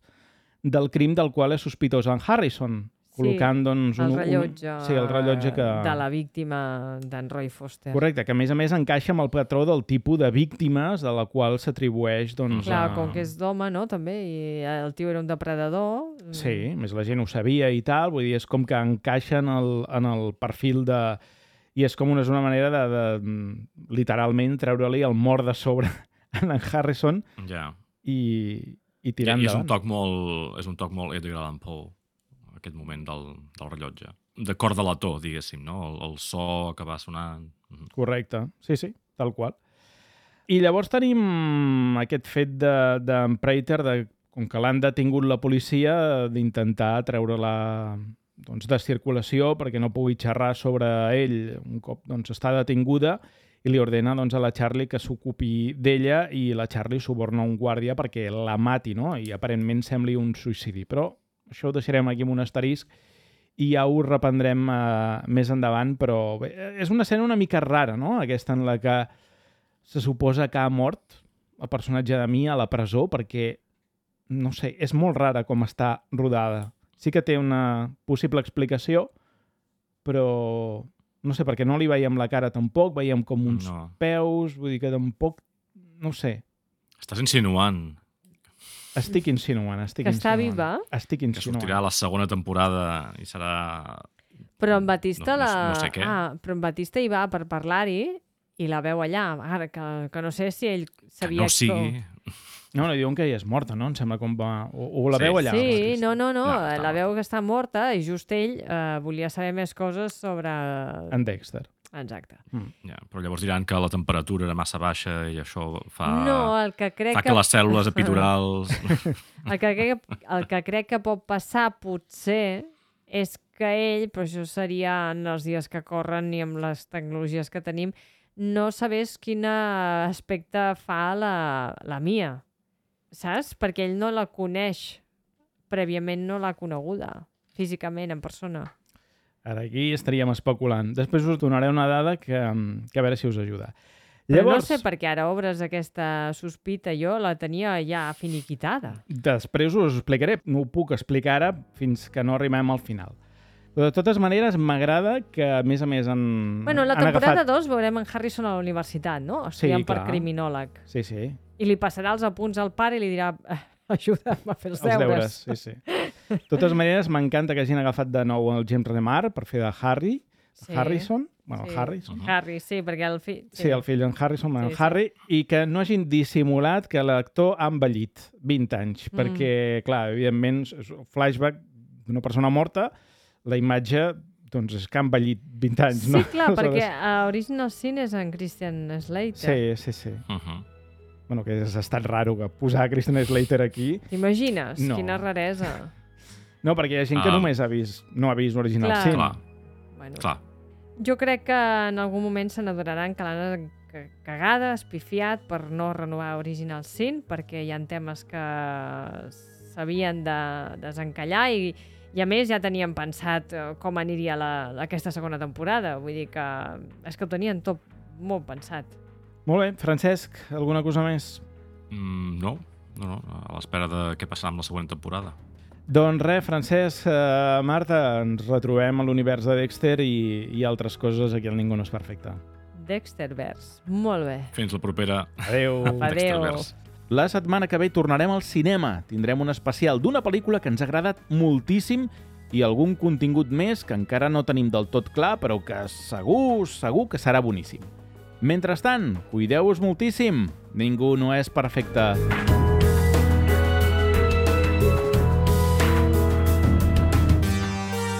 del crim del qual és sospitós en Harrison, col·locant, doncs... el rellotge, el rellotge de la víctima d'en Roy Foster. Correcte, que a més encaixa amb el patró del tipus de víctimes de la qual s'atribueix, doncs... Clar, com que és d'home, no?, també, i el tio era un depredador. Sí, més la gent ho sabia i tal, vull dir, és com que encaixa en el perfil de... I és com una manera de literalment treure-li el mort de sobre en Harrison i tirar endavant. I és un toc molt Edgar Allan Poe, aquest moment del rellotge. De cor de lató, diguéssim, no? El so que va sonant... Correcte, sí, tal qual. I llavors tenim aquest fet d'en Prater, com que l'han detingut la policia, d'intentar treure-la de circulació perquè no pugui xerrar sobre ell un cop està detinguda, i li ordena a la Charlie que s'ocupi d'ella, i la Charlie suborna un guàrdia perquè la mati, no? I aparentment sembli un suïcidi. Però això ho deixarem aquí amb un asterisc i ja ho reprendrem més endavant, però bé, és una escena una mica rara, no? Aquesta en la que se suposa que ha mort el personatge de Mia a la presó, perquè, no sé, és molt rara com està rodada. Sí que té una possible explicació, però no sé, perquè no li veiem la cara tampoc, veiem com uns peus, vull dir que tampoc, no sé. Estàs insinuant. Estic insinuant. Que està viva? Estic insinuant. Que sortirà a la segona temporada i serà... Però en Batista no sé què. però en Batista hi va per parlar-hi i la veu allà. Ara, que no sé si ell sabia... Que no sigui... No diuen que ella és morta, no? Em sembla com va... O la veu allà. Sí, no. La veu que està morta i just ell volia saber més coses sobre... En Dexter. Exacte. Ja, però llavors diran que la temperatura era massa baixa i això fa... No, el que crec fa que les cèl·lules epidurals... el que crec que pot passar, potser, és que ell, però això seria en els dies que corren i amb les tecnologies que tenim, no sabés quin aspecte fa la Mia, saps? Perquè ell no la coneix, prèviament no l'ha coneguda, físicament, en persona. Ara aquí estaríem especulant. Després us donaré una dada que a veure si us ajuda. Però llavors, no sé per què ara obres aquesta sospita. Jo la tenia ja finiquitada. Després us ho explicaré. No ho puc explicar ara fins que no arribem al final. Però de totes maneres, m'agrada que, a més Bueno, la temporada 2 veurem en Harrison a la universitat, no? Estudiant per criminòleg. Sí. I li passarà els apunts al pare i li dirà ajuda'm a fer els deures. Sí. De totes maneres, m'encanta que hagin agafat de nou el James Remar per fer de Harry. Harrison? Bueno, sí. Harrison. Harry, sí, perquè el fill... Sí, el fill en Harrison, en Harry, i que no hagin dissimulat que l'actor ha envellit 20 anys, perquè, clar, evidentment, flashback d'una persona morta, la imatge, doncs, és que ha envellit 20 anys, no? Sí, clar, perquè a Original Sin és en Christian Slater. Sí. Bueno, que ha estat raro que posar Christian Slater aquí. T'imagines? No. Quina raresa. No, perquè hi ha gent que només no ha vist Original Sin. Clar. Jo crec que en algun moment se n'adonaran que l'han cagada, espifiat per no renovar Original Sin, perquè hi ha temes que s'havien de desencallar i a més ja tenien pensat com aniria aquesta segona temporada. Vull dir que és que ho tenien tot molt pensat. Molt bé. Francesc, alguna cosa més? No. A l'espera de què passarà amb la següent temporada. Doncs res, Francesc, Marta, ens retrobem a l'univers de Dexter i altres coses aquí al Ningú no és perfecte. Dexterverse. Molt bé. Fins la propera. Adéu. Dexterverse. La setmana que ve tornarem al cinema. Tindrem un especial d'una pel·lícula que ens ha agradat moltíssim i algun contingut més que encara no tenim del tot clar, però que segur que serà boníssim. Mentrestant, cuideu-vos moltíssim. Ningú no és perfecte.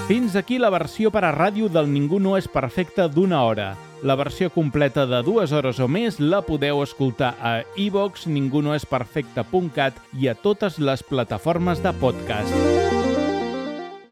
Fins aquí la versió per a ràdio del Ningú no és perfecte d'1 hora. La versió completa de 2 hores o més la podeu escoltar a iVoox, ningunoesperfecte.cat i a totes les plataformes de podcast.